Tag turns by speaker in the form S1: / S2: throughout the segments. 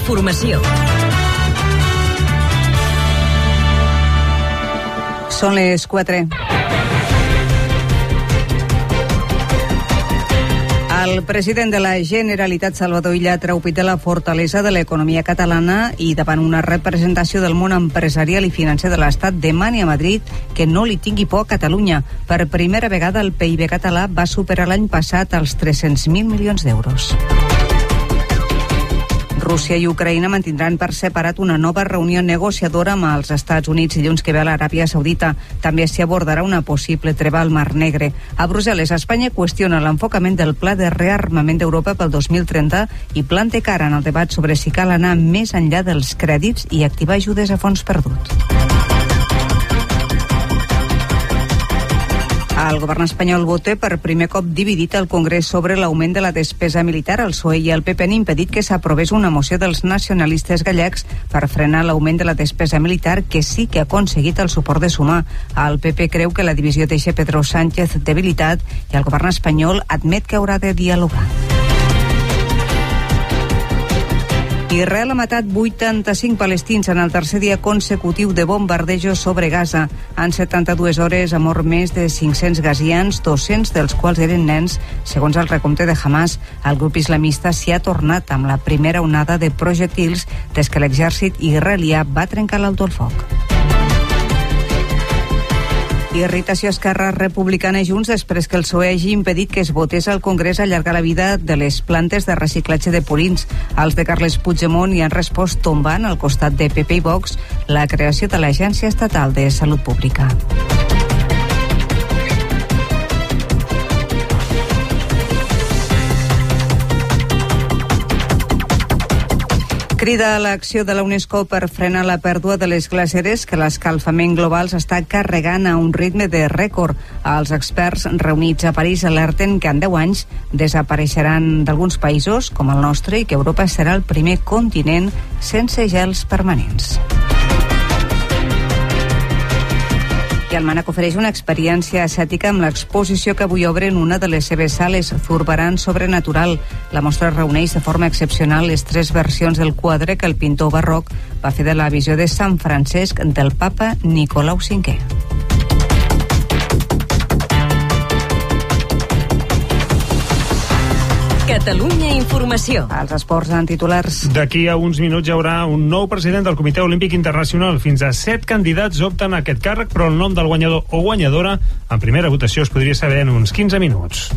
S1: informació.
S2: Són les 4. El president de la Generalitat, Salvador Illa, ha traupit de la fortalesa de l'economia catalana i davant una representació del món empresarial i financer de l'Estat demani a Madrid que no li tingui por a Catalunya. Per primera vegada el PIB català va superar l'any passat els 300.000 milions d'euros. Rússia i Ucraïna mantindran per separat una nova reunió negociadora amb els Estats Units dilluns que ve a l'Aràbia Saudita. També s'hi abordarà una possible treva al Mar Negre. A Brussel·les, Espanya qüestiona l'enfocament del pla de rearmament d'Europa pel 2030 i planta cara en el debat sobre si cal anar més enllà dels crèdits i activar ajudes a fons perdut. El govern espanyol vota per primer cop dividit al Congrés sobre l'augment de la despesa militar. El PSOE i el PP han impedit que s'aprovés una moció dels nacionalistes gallecs per frenar l'augment de la despesa militar, que sí que ha aconseguit el suport de Sumar. El PP creu que la divisió deixa Pedro Sánchez debilitat i el govern espanyol admet que haurà de dialogar. Israel ha matat 85 palestins en el tercer dia consecutiu de bombardejos sobre Gaza. En 72 hores ha mort més de 500 gazians, 200 dels quals eren nens, segons el recompte de Hamas. El grup islamista s'hi ha tornat amb la primera onada de projectils des que l'exèrcit israelià va trencar l'alto el foc. Irritació a Esquerra Republicana i Junts després que el PSOE hagi impedit que es votés al Congrés allargar la vida de les plantes de reciclatge de purins. Els de Carles Puigdemont hi han respost tombant al costat de PP i Vox la creació de l'Agència Estatal de Salut Pública. Crida a l'acció de la UNESCO per frenar la pèrdua de les glaceres que l'escalfament global s'està carregant a un ritme de rècord. Els experts reunits a París alerten que en 10 anys desapareixeran d'alguns països, com el nostre, i que Europa serà el primer continent sense gels permanents. I el Mànec ofereix una experiència ascètica amb l'exposició que avui obre en una de les seves sales, Zurbarán Sobrenatural. La mostra reuneix de forma excepcional les 3 versions del quadre que el pintor barroc va fer de la visió de Sant Francesc del papa Nicolau V.
S1: Catalunya Informació.
S2: Els esports en titulars.
S3: D'aquí a uns minuts hi haurà un nou president del Comitè Olímpic Internacional. Fins a 7 candidats opten a aquest càrrec, però el nom del guanyador o guanyadora en primera votació es podria saber en uns 15 minuts.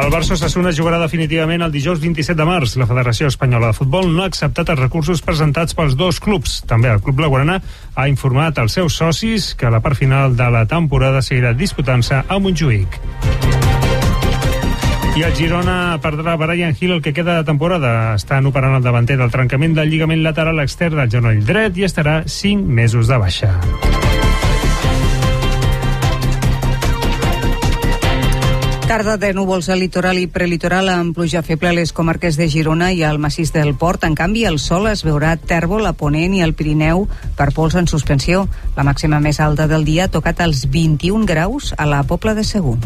S3: El Barça Osasuna jugarà definitivament el dijous 27 de març. La Federació Espanyola de Futbol no ha acceptat els recursos presentats pels dos clubs. També el club blaugrana ha informat als seus socis que la part final de la temporada seguirà disputant-se a Montjuïc. I el Girona perdrà Brian Hill el que queda de temporada. Estan operant el davanter del trencament del lligament lateral extern del genoll dret i estarà 5 mesos de baixa.
S2: Tarda de núvols al litoral i prelitoral amb pluja feble a les comarques de Girona i al massís del Port. En canvi, el sol es veurà a Tèrbol, a Ponent i al Pirineu per pols en suspensió. La màxima més alta del dia ha tocat els 21 graus a la Pobla de Segur.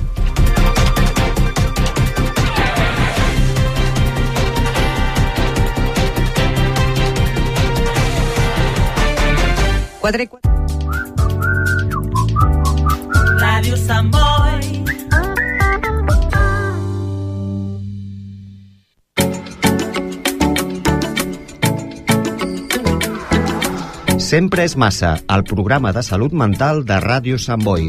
S4: Ràdio Sant Boi.
S5: Sempre és massa, el programa de salut mental de Ràdio Sant Boi.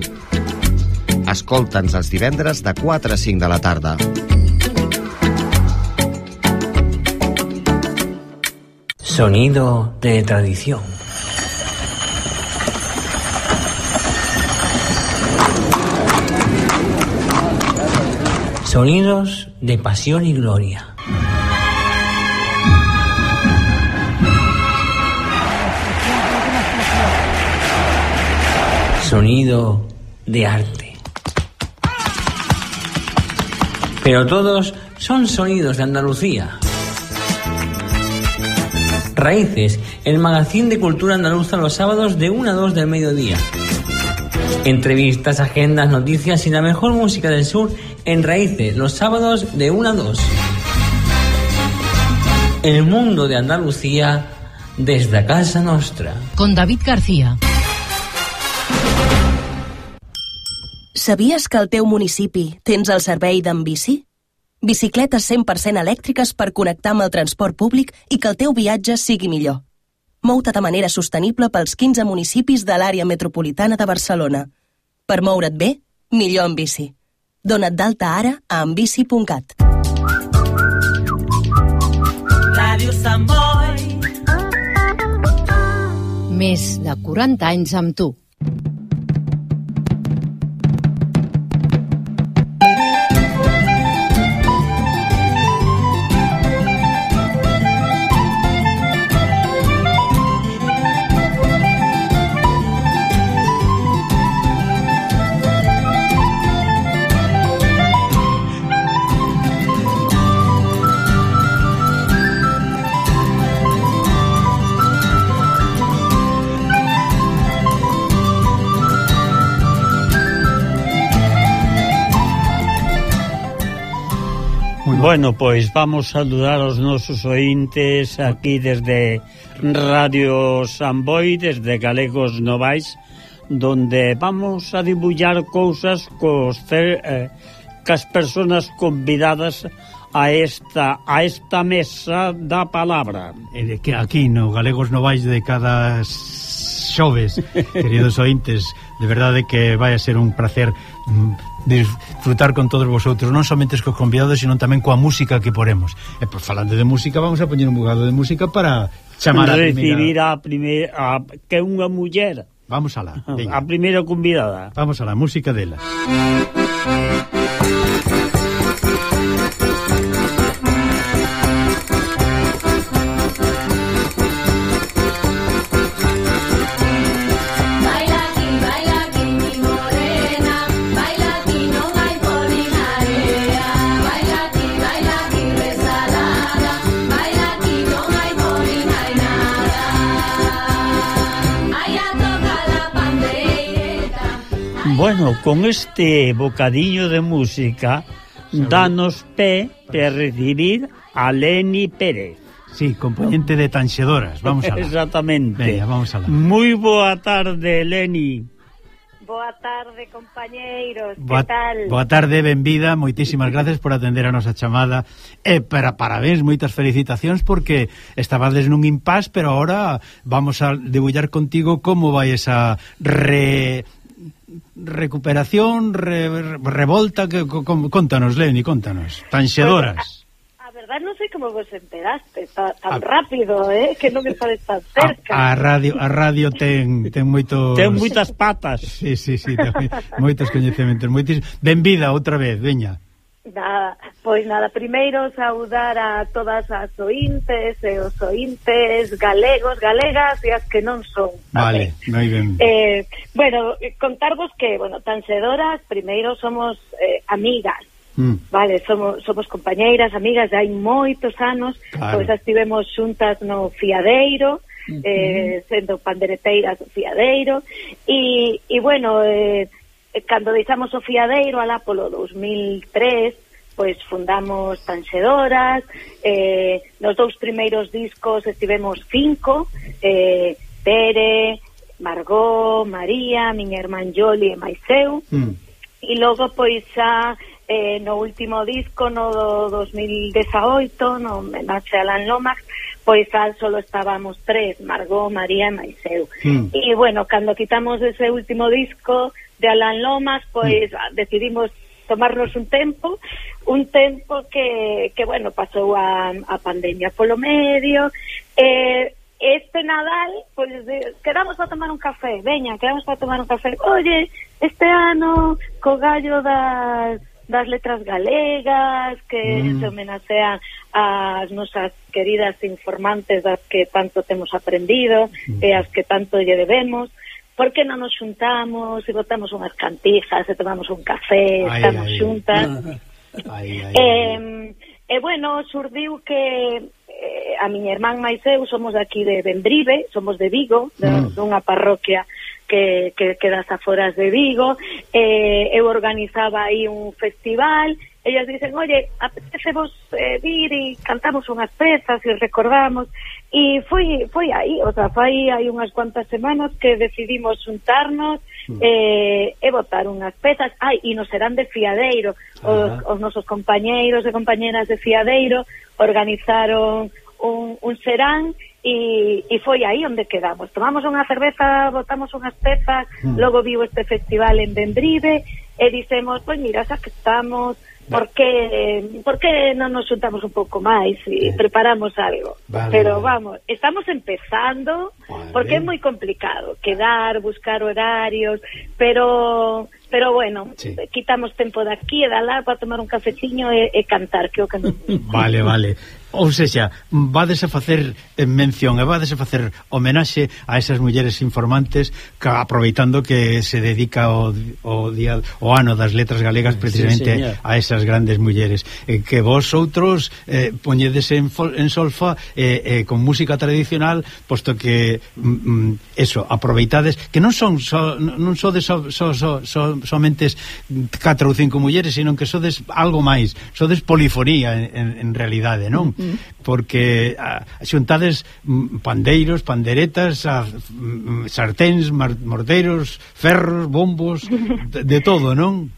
S5: Escolta'ns els divendres de 4 a 5 de la tarda.
S6: Sonido de tradición. Sonidos de pasión y gloria. Sonido de arte. Pero todos son sonidos de Andalucía. Raíces, el magazín de cultura andaluza los sábados de 1 a 2 del mediodía. Entrevistas, agendas, noticias y la mejor música del sur en Raíces, los sábados de 1 a 2. El mundo de Andalucía desde a casa nostra.
S1: Con David García.
S7: Sabies que al teu municipi tens el servei d'Enbici? Bicicletes 100% elèctriques per connectar amb el transport públic i que el teu viatge sigui millor. Mou-te de manera sostenible pels 15 municipis de l'àrea metropolitana de Barcelona. Per moure't bé, millor en bici. Dona't d'alta ara a enbici.cat.
S4: Ràdio Sant Boi.
S1: Més de 40 anys amb tu.
S8: Bueno, pois vamos saludar aos nosos ointes aquí desde Radio Sant Boi, desde Galegos Novais, donde vamos a dibullar cousas cas persoas convidadas a esta mesa da palabra.
S9: Que aquí no Galegos Novais de cada xoves, queridos ointes, de verdade que vai a ser un placer disfrutar con todos vosotros, non somente cos convidados, sino tamén coa música que poremos. E por falando de música, vamos a poñer un bocado de música para chamar a
S8: recibir a primeira que é unha muller.
S9: Vamos alá.
S8: A primeira convidada.
S9: Vamos alá, música dela.
S8: Bueno, con este bocadillo de música danos pé para recibir a Leni Pérez.
S9: Sí, componente de Tanxedoras, vamos alá.
S8: Exactamente.
S9: Venga, vamos alá.
S8: Moi boa tarde, Leni.
S10: Boa tarde, compañeiros, que tal?
S9: Boa tarde, benvida, moitísimas gracias por atender a nosa chamada e parabéns, moitas felicitacións porque estabades nun impás, pero ahora vamos a debullar contigo como vai esa recuperación, revolta, contanos, Leni, contanos. Tanxedoras.
S10: A verdad non sei como vos enteraste tan rápido, que non me estades tan cerca.
S9: A radio ten moito...
S8: Ten moitas patas.
S9: Sí, ten moitos coñecementos. Benvida outra vez, veña.
S10: Nada, primeiro saudar a todas as ointes e os ointes galegos, galegas e as que non son.
S9: Vale, moi ben.
S10: Contarvos que, Tanxedoras, primeiro somos amigas, vale, somos compañeiras, amigas de hai moitos anos, claro. Pois estivemos xuntas no Fiadeiro, sendo pandereteiras do Fiadeiro, e cando deixamos o Fiadeiro alá polo 2003, pois fundamos Tanxedoras, nos 2 primeiros discos estivemos 5, Pere, Margot, María, miña irmán Yoli e máis eu, e logo pois xa no último disco, no 2018, no homenaxe a Alan Lomax, pois solo estábamos 3, Margot, María e máis eu. E cando quitamos ese último disco de Alan Lomas, pois decidimos tomarnos un tempo que pasou a pandemia polo medio, este Nadal, pois quedamos para tomar un café, oye, este ano co gallo das letras galegas, que se homenaxean as nosas queridas informantes das que tanto temos aprendido e as que tanto lle debemos. Por que non nos xuntamos e botamos unhas cantijas e tomamos un café, estamos xuntas? Surdiu que a miña irmán máis eu somos aquí de Bembrive, somos de Vigo, dunha parroquia que das aforas de Vigo. Eu organizaba aí un festival ellas dicen, oye, apetecemos vir e cantamos unhas pezas e recordamos, e foi aí, o sea, foi aí unhas cuantas semanas que decidimos juntarnos e botar unhas pezas, e nos serán de Fiadeiro, os nosos compañeiros e compañeras de Fiadeiro organizaron un serán e foi aí onde quedamos. Tomamos unha cerveza, botamos unhas pezas, logo viu este festival en Bembrive e dicemos, pois mira, xa que estamos, por que non nos juntamos un pouco máis e preparamos algo? Pero vamos, estamos empezando, porque é moi complicado quedar, buscar horarios, pero bueno, quitamos tempo de aquí e de alá para tomar un cafeciño e cantar, que o que non...
S9: Vale. Ou seja, vades a facer mención e vades a facer homenaxe a esas mulleres informantes que, aproveitando que se dedica o ano das letras galegas precisamente a esas grandes mulleres, que vos outros poñedes en solfa con música tradicional, posto que eso, aproveitades que non sodes somente 4 ou 5 mulleres, sino que sodes algo máis, sodes polifonía en realidade, non? Porque xuntades pandeiros, panderetas, sarténs, morteros, ferros, bombos, de todo, non?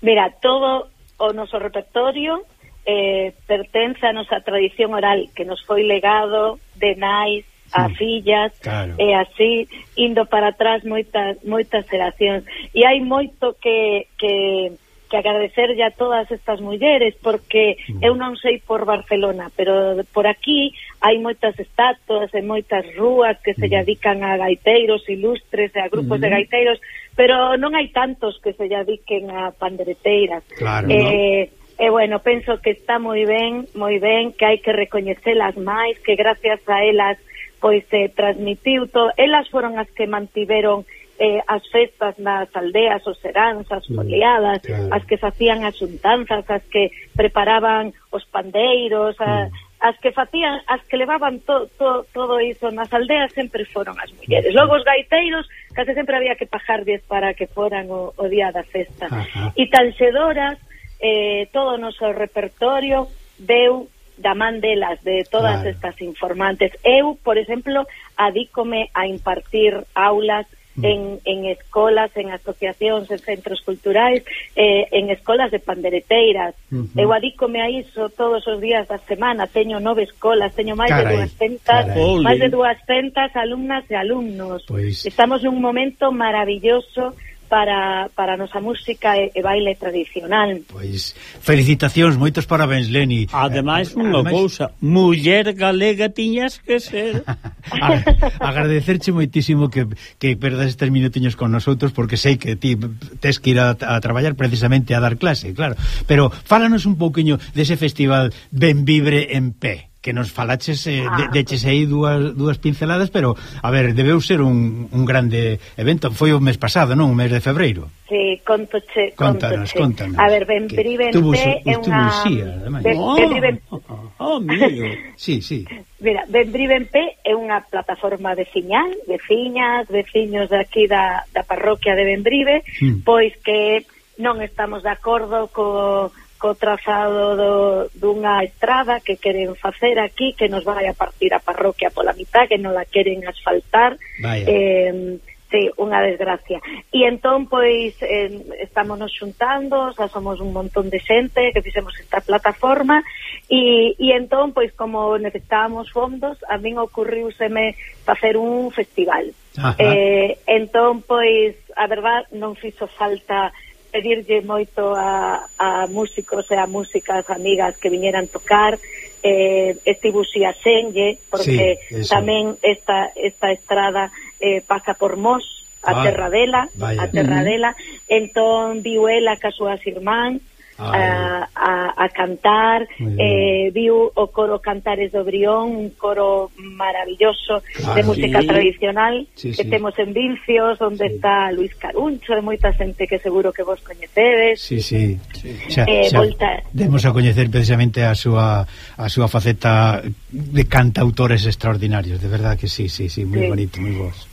S10: Mira, todo o noso repertorio pertence a nosa tradición oral, que nos foi legado de nais a fillas, e así indo para atrás moitas xeracións, e hai moito que agradecer a todas estas mulleres, porque eu non sei por Barcelona, pero por aquí hai moitas estatuas e moitas rúas que se dedican a gaiteiros ilustres e a grupos de gaiteiros, pero non hai tantos que se dediquen a pandereteiras. E bueno, penso que está moi ben, que hai que recoñecelas máis, que gracias a elas pois se transmitiu todo. Elas foron as que mantiveron as festas nas aldeas, os seráns, as foliadas, as que facían as xuntanzas, as que preparaban os pandeiros, as que facían, as que levaban todo iso nas aldeas, sempre foron as mulleres. Logo os gaiteiros case sempre había que pagarlles para que foran o día da festa. E tanxedoras, todo o noso repertorio deu da man delas, de todas estas informantes. Eu, por exemplo, adícome a impartir aulas en escolas, en asociacións, en centros culturais, en escolas de pandereteiras. Eu adícome a iso todos os días da semana. Teño 9 escolas, teño máis de 200 alumnas e alumnos. Estamos nun momento maravilloso para a nosa música e baile tradicional.
S9: Pois, felicitacións, moitos parabéns, Leni.
S8: Ademais, unha cousa, muller galega tiñas que ser.
S9: Agradecerche moitísimo que perdas estes minutiños con nosotros, porque sei que ti tes que ir a traballar precisamente a dar clase, claro. Pero fálanos un pouquiño dese festival Bembrive en Pé, que nos falaches, deches aí dúas pinceladas, pero, a ver, debeu ser un grande evento. Foi o mes pasado, non? O mes de febreiro.
S10: Sí, contoche.
S9: Contanos.
S10: A ver, Bembrive en Pé é unha...
S9: Sí.
S10: Mira, Bembrive en Pé é unha plataforma veciñal, veciñas, veciños de aquí da parroquia de Bembrive, pois que non estamos de acordo co trazado dunha estrada que queren facer aquí, que nos vai a partir a parroquia pola mitad, que non la queren asfaltar. Sí, unha desgracia. E entón, pois, estamos nos xuntando, xa somos un montón de xente que fixemos esta plataforma, e entón, pois, como necesitábamos fondos, a min ocurriuseme facer un festival. Entón, pois, a verdad, non fixo falta pedirlle moito a músicos e a músicas amigas que viñeran tocar, estivo xenlle, porque tamén esta estrada pasa por Mos, a terra dela, entón viu ela ca súas irmán a cantar, viu o coro Cantares do Brión, un coro maravilloso de música tradicional que temos en Vincios, onde está Luis Caruncho e moita xente que seguro que vos coñecedes.
S9: Demos a coñecer precisamente a súa faceta de cantautores extraordinarios, de verdad que sí, moi bonito, moi vos.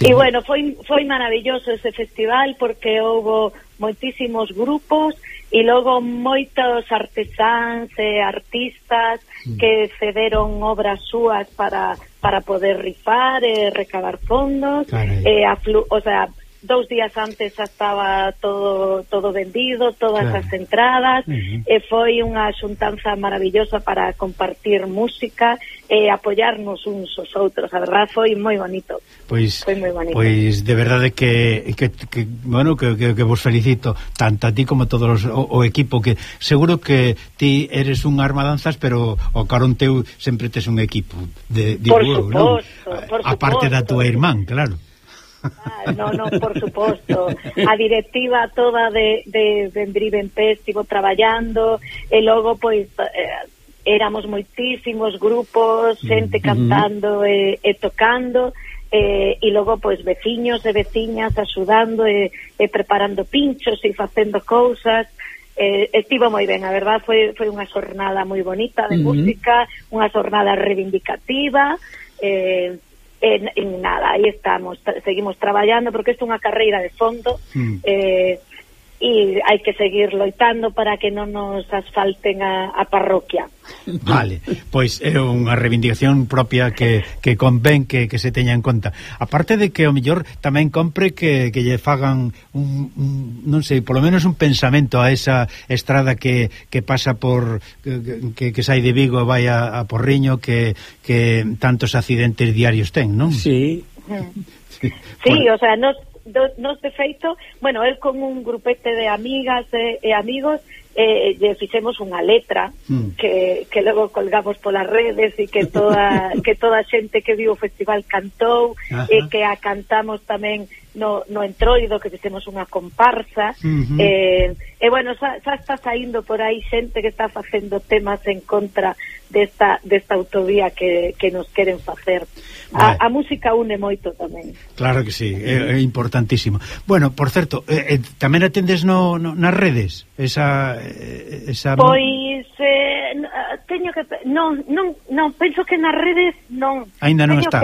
S10: E bueno, foi maravilloso ese festival, porque houbo moitísimos grupos e logo moitos artesáns e artistas que cederon obras súas para poder rifar e recabar fondos. O sea, 2 días antes xa estaba todo vendido, todas as entradas, e foi unha xuntanza maravillosa para compartir música e apoiarnos uns aos outros. A verdade foi moi bonito.
S9: Pois,
S10: foi moi bonito.
S9: Pois de verdade que bueno, que vos felicito tanto a ti como a todos o equipo, que seguro que ti eres un armadanzas, pero o carón teu sempre tes un equipo de
S10: por suposto,
S9: aparte da tua irmán, claro.
S10: No, por suposto. A directiva toda de Vendrive estivo traballando e logo pois éramos moitísimos grupos, xente cantando e tocando, e logo pois veciños e veciñas axudando e preparando pinchos e facendo cousas. Estivo moi ben, a verdad foi unha xornada moi bonita de música, unha xornada reivindicativa, e nada, aí estamos, seguimos traballando porque isto é unha carreira de fondo, e hai que seguir loitando para que non nos asfalten a parroquia.
S9: Vale, pois é unha reivindicación propia que convén que se teña en conta. Aparte de que o mellor tamén compre que lle fagan non sei, polo menos un pensamento a esa estrada que pasa por que sai de Vigo e vai a Porriño, que tantos accidentes diarios ten, non?
S10: Sí, o sea, nos de feito, bueno, el con un grupete de amigas e amigos lle fixemos unha letra que logo colgamos polas redes e que toda a xente que viu o festival cantou, e que a cantamos tamén no entroido, que fixemos unha comparsa, e bueno, xa está saindo por aí xente que está facendo temas en contra desta autovía que nos queren facer. A música une moito tamén.
S9: Claro que sí, é importantísimo. Bueno, por certo, tamén atendes nas redes esa
S10: pois teño que non, penso que nas redes non.
S9: Ainda non está.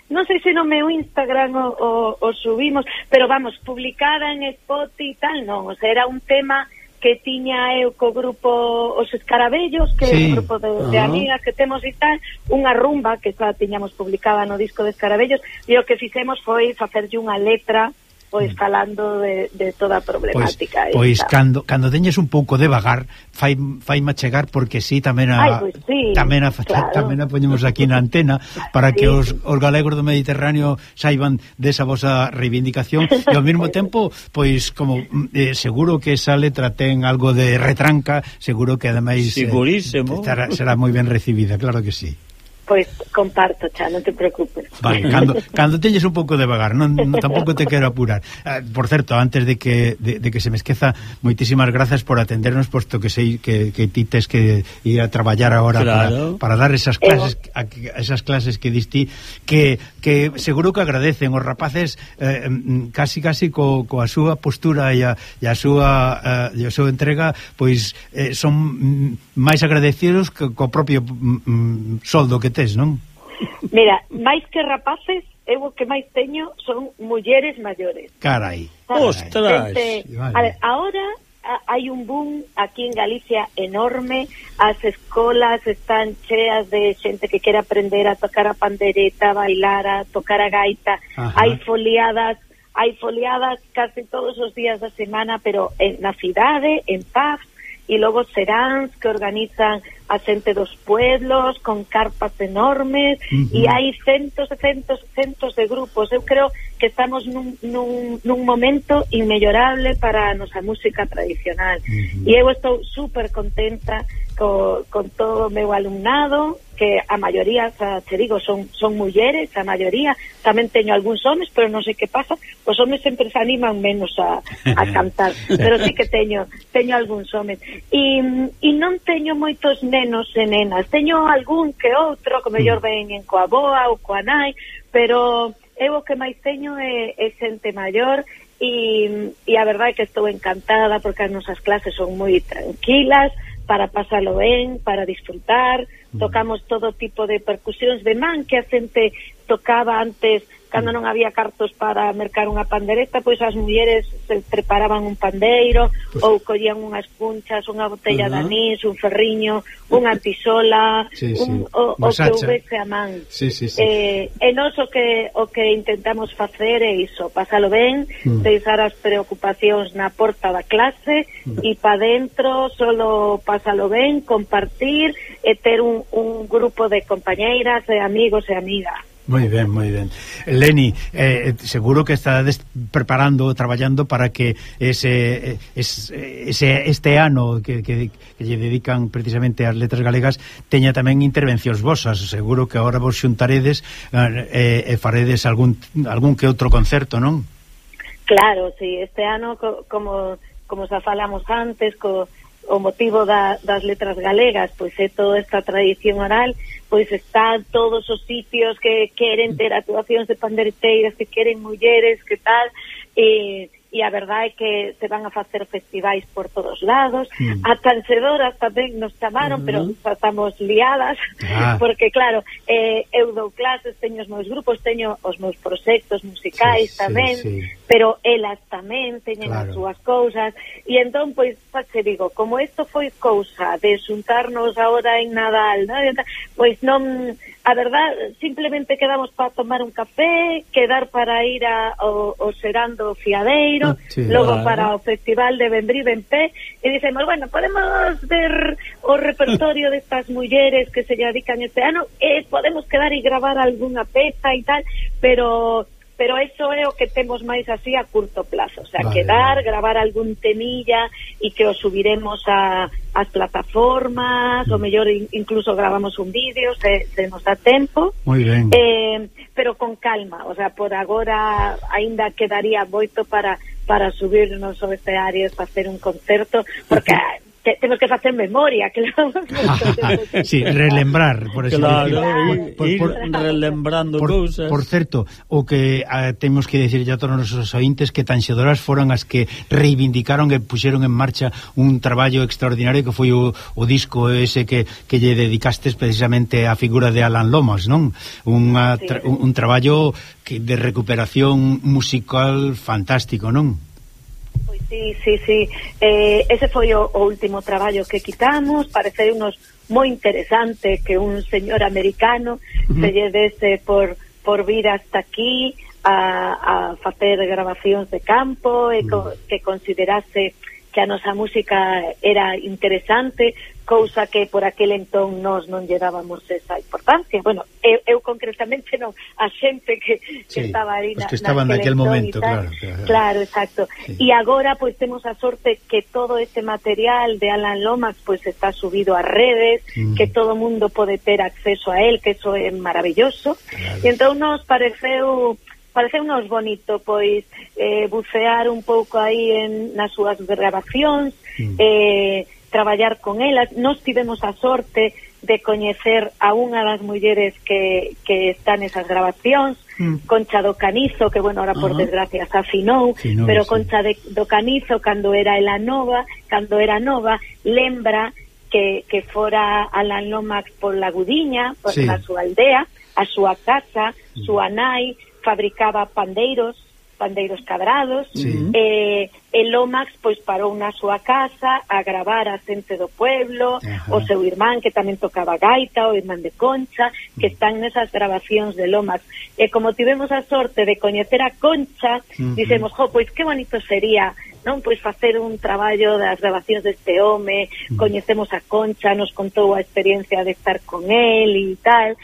S10: Non sei se no meu Instagram o subimos, pero vamos, publicada en Spotify e tal, non, o sea, era un tema que tiña eu co grupo Os Escarabellos, que é un grupo de amigas que temos e tal, unha rumba que xa tiñamos publicada no disco de Escarabellos, e o que fixemos foi facerlle unha letra pois falando de toda a problemática.
S9: Pois cando teñes un pouco de vagar, faima chegar, porque si tamén tamén a poñemos aquí na antena para que os galegos do Mediterráneo saiban desa vosa reivindicación, e ao mesmo tempo, pois como seguro que esa letra ten algo de retranca, seguro que ademais
S8: segurísimo
S9: será moi ben recibida, claro que sí.
S10: Pois comparto, xa, non te preocupes.
S9: Vale, cando teñes un pouco de vagar, non tampouco te quero apurar. Por certo, antes de que se me esqueza, moitísimas grazas por atendernos, posto que sei que ti tes que ir a traballar agora, claro, para dar esas clases que diste, que seguro que agradecen os rapaces casi coa súa postura e a súa entrega, pois son máis agradecidos que co propio soldo que non?
S10: Mira, máis que rapaces, eu o que máis teño son mulleres maiores.
S9: Carai.
S8: Ostras.
S10: Ahora hai un boom aquí en Galicia enorme, as escolas están cheas de xente que quere aprender a tocar a pandereta, a bailar, a tocar a gaita. Hai foliadas casi todos os días da semana, pero na cidade, en pubs, e logo seráns que organizan a xente dos pueblos con carpas enormes, e hai centos de grupos. Eu creo que estamos nun momento inmellorable para a nosa música tradicional, e eu estou super contenta con todo o meu alumnado, que a maioría, te digo, son mulleres, a maioría. Tamén teño algúns homes, pero non sei que pasa, os homes sempre se animan menos a cantar, pero sí que teño algúns homes, e non teño moitos nenos e nenas, teño algún que outro, que mellor ven en coa boa ou coa nai, pero eu o que máis teño é xente maior, e a verdade é que estou encantada porque as nosas clases son moi tranquilas, para pasalo ben, para disfrutar. Tocamos todo tipo de percusións de man que a xente tocaba antes, cando non había cartos para mercar unha pandereta, pois as mulleres se preparaban un pandeiro, ou collían unhas punchas, unha botella de anís, un ferriño, unha tisola, o que houvese a man. E nós o que intentamos facer é iso, pasalo ben, deixar as preocupacións na porta da clase, e pa dentro solo pasalo ben, compartir e ter un grupo de compañeiras, de amigos e amigas.
S9: Moi ben, moi ben. Leni, seguro que estades preparando, traballando para que este ano que lle dedican precisamente ás letras galegas teña tamén intervencións vosas. Seguro que agora vos xuntaredes e faredes algún que outro concerto, non?
S10: Claro, sí. Este ano, como xa falamos antes, o motivo das letras galegas, pois é toda esta tradición oral, pois están todos os sitios que queren ter actuacións de pandereteiras, que queren mulleres, que tal, e a verdade é que se van a facer festivais por todos lados. A tancedoras tamén nos chamaron, pero estamos liadas, porque claro, eu dou clases, teño os meus grupos, teño os meus proxectos musicais tamén, pero elas tamén teñen as súas cousas, e entón, pois, se digo, como isto foi cousa de xuntarnos agora en Nadal, ¿no? Pois non, a verdade, simplemente quedamos para tomar un café, quedar para ir ao Serando Fiadeiro, logo para o Festival de Vendrí Benpé, e dicemos, bueno, podemos ver o repertorio destas mulleres que se dedican este ano, e podemos quedar e gravar algunha peza e tal, pero eso é o que temos máis así a curto plazo, o sea, quedar, gravar algún temilla e que o subiremos ás plataformas, o mellor incluso gravamos un vídeo se nos dá tempo.
S9: Moi ben.
S10: Pero con calma, o sea, por agora aínda quedaría moito para subirnos ao escenario e facer un concerto, porque temos que facer memoria, claro.
S9: Sí, relembrar, por eso.
S8: Claro, ir relembrando cousas.
S9: Por certo, o que temos que decir a todos os nosos ointes que tanxedoras foron as que reivindicaron e puxeron en marcha un traballo extraordinario que foi o disco ese que lle dedicastes precisamente á figura de Alan Lomas, non? Un traballo de recuperación musical fantástico, non?
S10: Sí. Ese foi o último traballo que quitamos. Parece unos moi interesante que un señor americano se lle dese por vir hasta aquí a facer grabacións de campo e que considerase que a nosa música era interesante, cousa que por aquel entón nós non lle dábamos esa importancia. Bueno, eu concretamente non, a xente que estaba aí
S9: que estaban naquel momento,
S10: claro, exacto. E agora pois temos a sorte que todo este material de Alan Lomax pois está subido a redes, que todo o mundo pode ter acceso a él, que eso é maravilloso. E entón nos pareceunos bonito pois bucear un pouco aí nas súas grabacións, traballar con elas. Nos tivemos a sorte de coñecer a unha das mulleres que están nesas grabacións, Concha do Canizo, que bueno, ahora por desgracia se afinou, pero Concha do Canizo cando era nova, lembra que fora Alan Lomax por La Gudiña, por a súa aldea, a súa casa, súa nai fabricaba pandeiros cadrados, e Lomax pois parou na súa casa a gravar a xente do pueblo, o seu irmán que tamén tocaba gaita, o irmán de Concha, que están nesas grabacións de Lomax. E como tivemos a sorte de coñecer a Concha, dixemos, pois que bonito sería, non, pois facer un traballo das grabacións deste home. Coñecemos a Concha, nos contou a experiencia de estar con él e tal,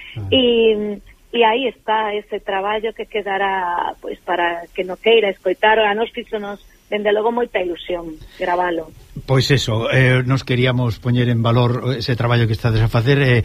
S10: e aí está ese traballo que quedará pois para que no queira escoitar. A nos fíxonos dende logo moita ilusión gravalo.
S9: Pois eso, nos queríamos poñer en valor ese traballo que estades a facer,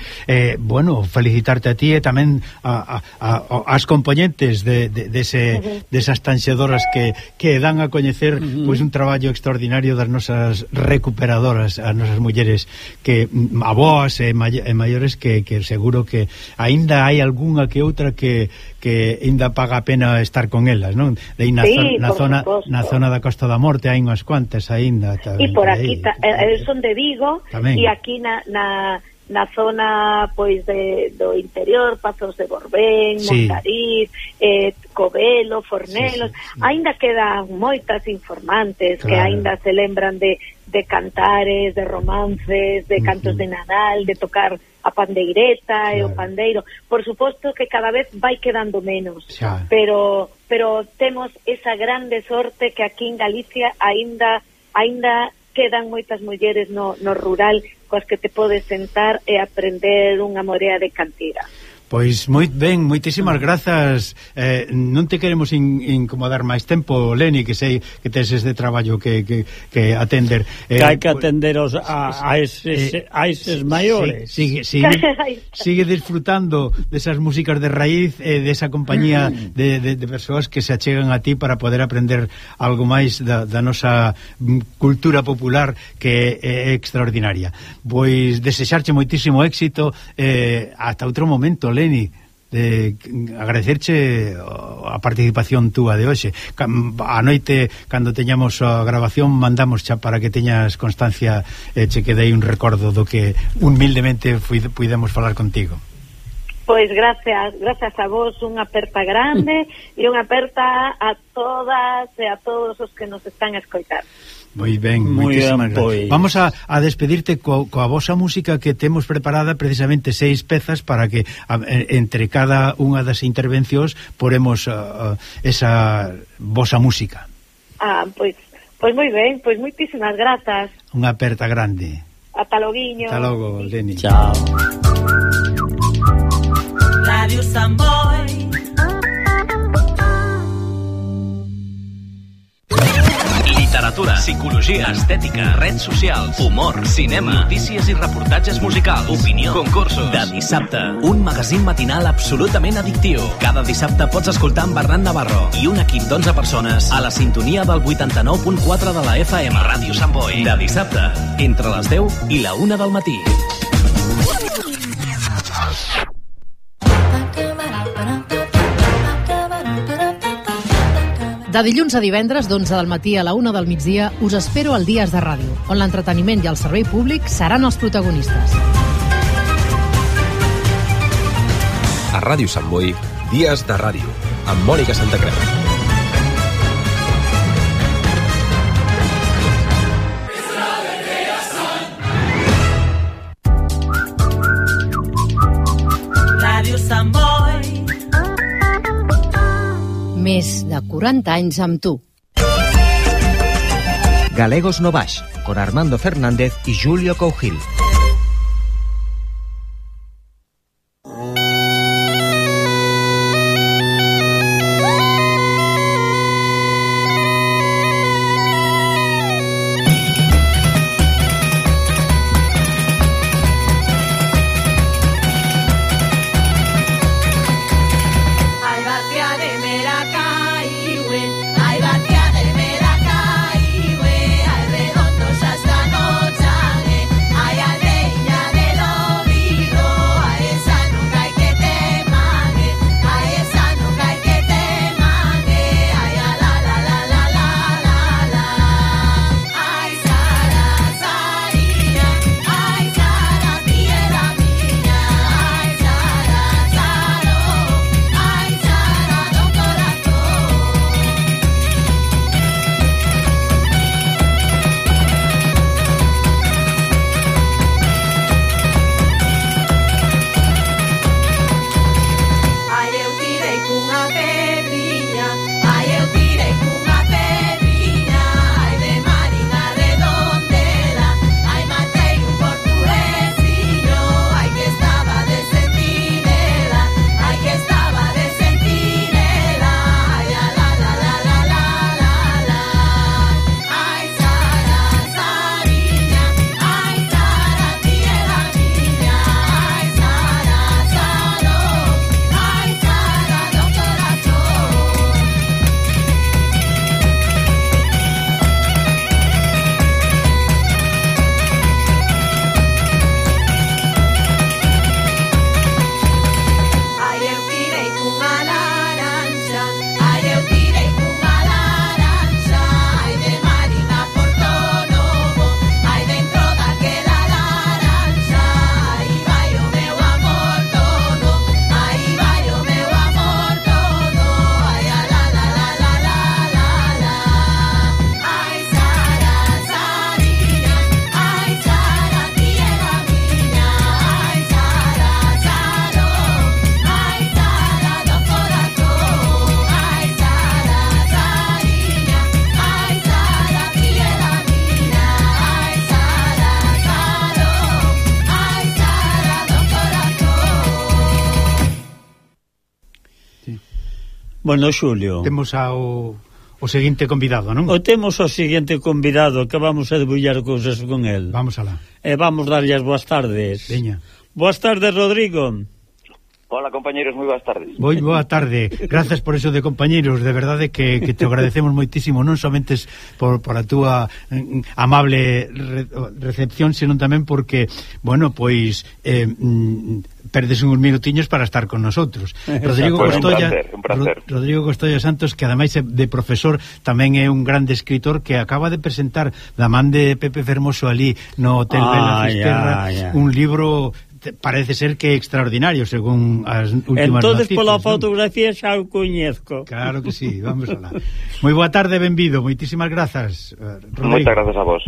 S9: bueno, felicitarte a ti e tamén as componentes desas tanxedoras que dan a coñecer pois un traballo extraordinario das nosas recuperadoras, as nosas mulleres que aboas e maiores que seguro que aínda hai algunha que outra que aínda paga a pena estar con elas, non? Na zona da Costa da Morte hai unhas cuantas aínda.
S10: E por aquí, son de Vigo, e aquí na na zona pois do interior, Pazos de Borbén, Montariz, Covelo, Fornelos, aínda quedan moitas informantes que aínda se lembran de cantares, de romances, de cantos de Nadal, de tocar a pandeireta e o pandeiro. Por suposto que cada vez vai quedando menos, pero temos esa grande sorte que aquí en Galicia aínda quedan moitas mulleres no rural coas que te podes sentar e aprender unha morea de cantiga.
S9: Pois moi ben, moitísimas grazas. Non te queremos incomodar máis tempo, Leni, que sei que tes este traballo que atender.
S8: Que hai que atender a eses maiores.
S9: Sigue disfrutando desas músicas de raíz e desa compañía de persoas que se achegan a ti para poder aprender algo máis da nosa cultura popular, que é extraordinaria. Pois desexarche moitísimo éxito, ata outro momento, Leni, de agradecerche a participación túa de hoxe. A noite, cando teñamos a grabación, mandamos xa para que teñas constancia, che quedei un recordo do que humildemente puidemos falar contigo.
S10: Pois gracias a vos, unha aperta grande e unha aperta a todas e a todos os que nos están a escoitar.
S9: Moi ben, moitísimas gracias. Vamos a despedirte coa vosa música, que temos preparada precisamente 6 pezas para que entre cada unha das intervencións poremos esa vosa música.
S10: Pois moi ben, pois moitísimas grazas.
S9: Unha aperta grande.
S10: Ata loguiño.
S9: Ata logo, Leni.
S8: Chao.
S4: Radio Samboy.
S11: Literatura, psicologia, estètica, redes socials, humor, cinema, notícies i reportatges musicals, opinió, concursos. De dissabte, un magazín matinal absolutament addictiu. Cada dissabte pots escoltar en Bernat Navarro i un equip d'11 persones a la sintonia del 89.4 de la FM. Ràdio Sant Boi. De dissabte, entre les 10 i la 1 del matí.
S1: De dilluns a divendres, d'11 del matí a la 1 del migdia, us espero al Dies de Ràdio, on l'entreteniment i el servei públic seran els protagonistes.
S12: A Ràdio Sant Boi, Dies de Ràdio, amb Mònica Santacreu.
S4: Ràdio Sant Boi.
S1: Més de 40 anys amb tu.
S5: Galegos no Baix, con Armando Fernández y Julio Cougil.
S4: Ay,
S8: Bueno, Xulio,
S9: temos o seguinte convidado, non?
S8: Temos o seguinte convidado que vamos a debullar cousas con el.
S9: Vamos alá.
S8: Vamos darlle as boas tardes.
S9: Veña.
S8: Boas tardes, Rodrigo.
S13: Hola, compañeros, moi boas tardes.
S9: Moi boa tarde. Gracias por eso de compañeros, de verdade que te agradecemos moitísimo, non somente por a túa amable recepción, senón tamén porque, bueno, pois perdes uns minutiños para estar con nosotros. Rodrigo Costolla,
S13: un placer.
S9: Rodrigo Costolla Santos, que ademais de profesor, tamén é un grande escritor que acaba de presentar da man de Pepe Fermoso ali no Hotel Vela Fisterra un libro parece ser que extraordinario según as últimas
S8: noticias. Entonces pola fotografía xa o coñezco.
S9: Claro que sí, vamos alá. Moi boa tarde, benvido, moitísimas grazas, Rodrigo.
S13: Moitas grazas a vos.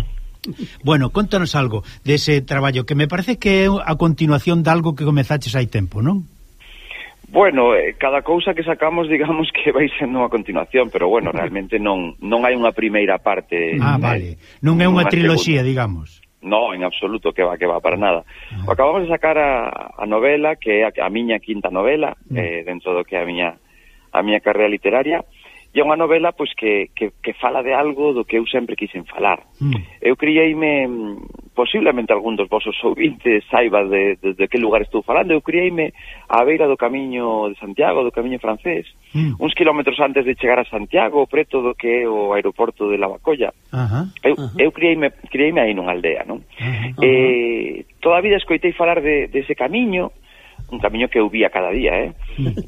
S9: Bueno, contanos algo dese traballo que me parece que é a continuación de algo que comezaches hai tempo, non?
S13: Bueno, cada cousa que sacamos, digamos que vai sendo a continuación, pero bueno, realmente non hai unha primeira parte.
S9: Vale, non é unha triloxía, digamos.
S13: No, en absoluto, que va, para nada. Acabamos de sacar a novela, que é a miña quinta novela, dentro do que é a miña carreira literaria, e é unha novela pois que fala de algo do que eu sempre quixen falar. Eu criei-me, posiblemente algún dos vosos ouvintes saiba de que lugar estou falando, eu criei-me á beira do camiño de Santiago, do camiño francés, uns kilómetros antes de chegar a Santiago, preto do que é o aeroporto de Lavacolla. Eu criei-me aí nunha aldea, non? Toda a vida escoitei falar dese camiño, un camiño que eu vía cada día,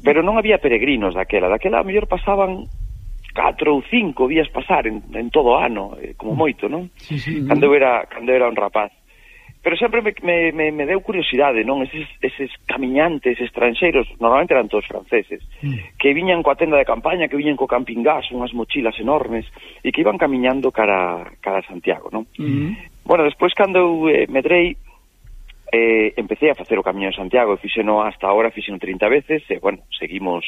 S13: pero non había peregrinos daquela a mellor pasaban 4 ou 5 días pasar en todo o ano, como moito, non? Cando eu era un rapaz. Pero sempre me deu curiosidade, non? Eses camiñantes estranxeiros, normalmente eran todos franceses, que viñan coa tenda de campaña, que viñan co camping gas, unhas mochilas enormes, e que iban camiñando cara a Santiago, non? Bueno, despois cando eu medrei, empecé a facer o camiño de Santiago, fixeno hasta ahora, fixeno 30 veces, e, bueno, seguimos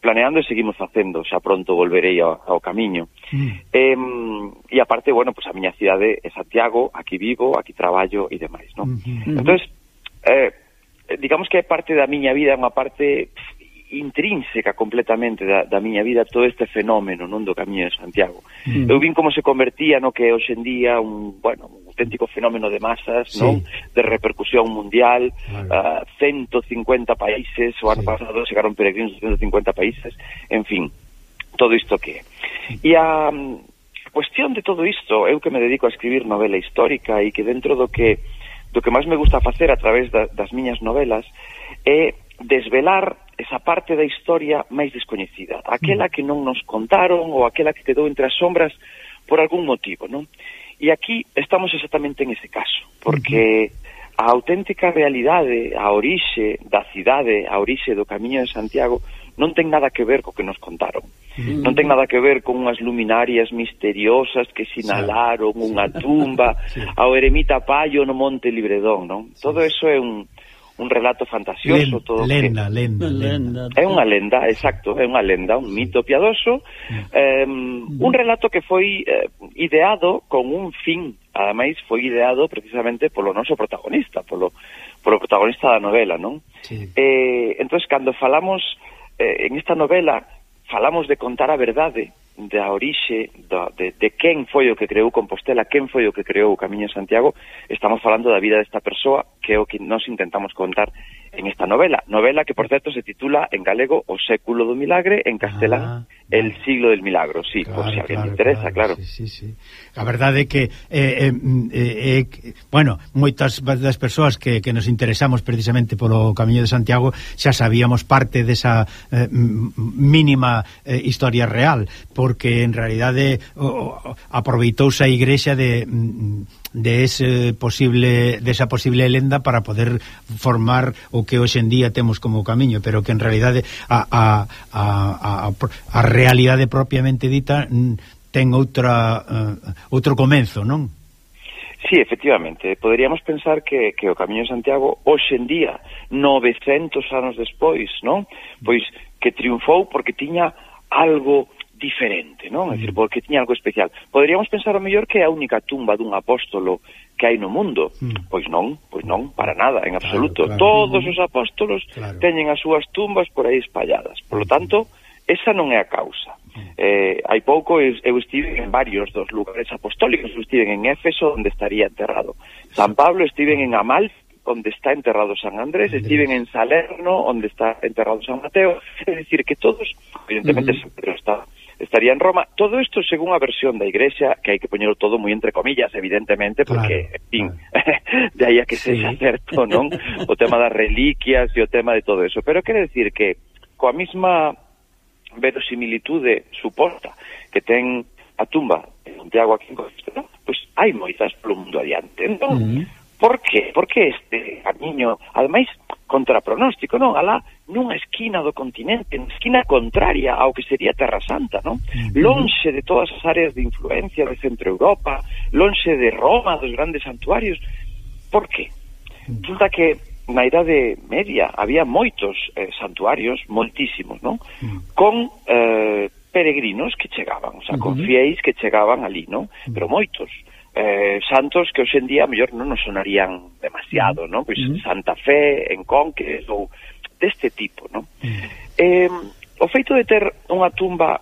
S13: planeando e seguimos facendo, xa pronto volverei ao camiño. E aparte, bueno, pues a miña cidade é Santiago, aquí vivo, aquí traballo e demais, non? Entonces, digamos que é parte da miña vida, é unha parte intrínseca completamente da miña vida todo este fenómeno, non, do Camiño de Santiago. Eu vin como se convertía no que hoxe en día un auténtico fenómeno de masas, non? De repercusión mundial, 150 países, o ano pasado chegaron peregrinos de 150 países, en fin, todo isto que é. E a cuestión de todo isto, eu que me dedico a escribir novela histórica e que dentro do que máis me gusta facer a través das miñas novelas é desvelar esa parte da historia máis descoñecida, aquela que non nos contaron ou aquela que quedou entre as sombras por algún motivo, non? E aquí estamos exactamente en ese caso, porque a auténtica realidade, a orixe da cidade, a orixe do Camiño de Santiago non ten nada que ver co que nos contaron. Non ten nada que ver con unhas luminarias misteriosas que sinalaron unha tumba ao eremita Paio no Monte Libredón, non? Todo eso é un relato fantasioso, todo
S9: lenda.
S13: É unha lenda, exacto, é unha lenda, un mito piadoso, un relato que foi ideado con un fin, ademais foi ideado precisamente polo noso protagonista, polo protagonista da novela, non? Entonces, cando falamos en esta novela, falamos de contar a verdade da orixe de quen foi o que creou Compostela, quen foi o que creou o Camiño de Santiago. Estamos falando da vida desta persoa, que é o que nos intentamos contar en esta novela que, por certo, se titula en galego O século do milagre, en castelán El siglo del milagro, sí, claro, por si alguén le interesa, claro.
S9: Sí. A verdade é que bueno, moitas das persoas que nos interesamos precisamente polo Camiño de Santiago xa sabíamos parte desa mínima historia real, porque en realidade aproveitouse a igrexa desa posible lenda para poder formar o que hoxe en día temos como camiño, pero que en realidade a realidade propiamente dita ten outro comenzo, non?
S13: Sí, efectivamente, poderíamos pensar que o Camiño de Santiago hoxe en día, 900 anos despois, non? Pois que triunfou porque tiña algo diferente, non? É dicir, porque tiña algo especial. Poderíamos pensar ao mellor que é a única tumba dun apóstolo que hai no mundo. Pois non, para nada, en absoluto. Claro. Todos os apóstolos teñen as súas tumbas por aí espalladas. Por lo tanto, esa non é a causa. Hai pouco eu estive en varios dos lugares apostólicos. Eu estive en Éfeso, onde estaría enterrado San Pablo, estive en Amalfi, onde está enterrado San Andrés, estive en Salerno, onde está enterrado San Mateo. É dicir, que todos, evidentemente San Pedro estaría en Roma. Todo isto según a versión da Igrexa, que hai que poñerlo todo moi entre comillas, evidentemente, porque, en fin, de aí a que sexa certo, non? O tema das reliquias e o tema de todo eso. Pero quere decir que, coa mesma verosimilitude suposta que ten a tumba de Santiago aquí en Compostela, pois hai moitas polo mundo adiante, non? Por qué? Porque este camiño, ademais, contra pronóstico, non? Alá nunha esquina do continente, na esquina contraria ao que sería Terra Santa, non? Lonxe de todas as áreas de influencia de Centro Europa, lonxe de Roma, dos grandes santuarios. Por qué? Resulta que na Idade Media había moitos santuarios, moitísimos, non? Con peregrinos que chegaban, o sea, con fiéis que chegaban ali, non? Pero moitos. Santos que hoxe en día mellor non nos sonarían demasiado, non? Pois Santa Fe, en Conques ou deste tipo, non? O feito de ter unha tumba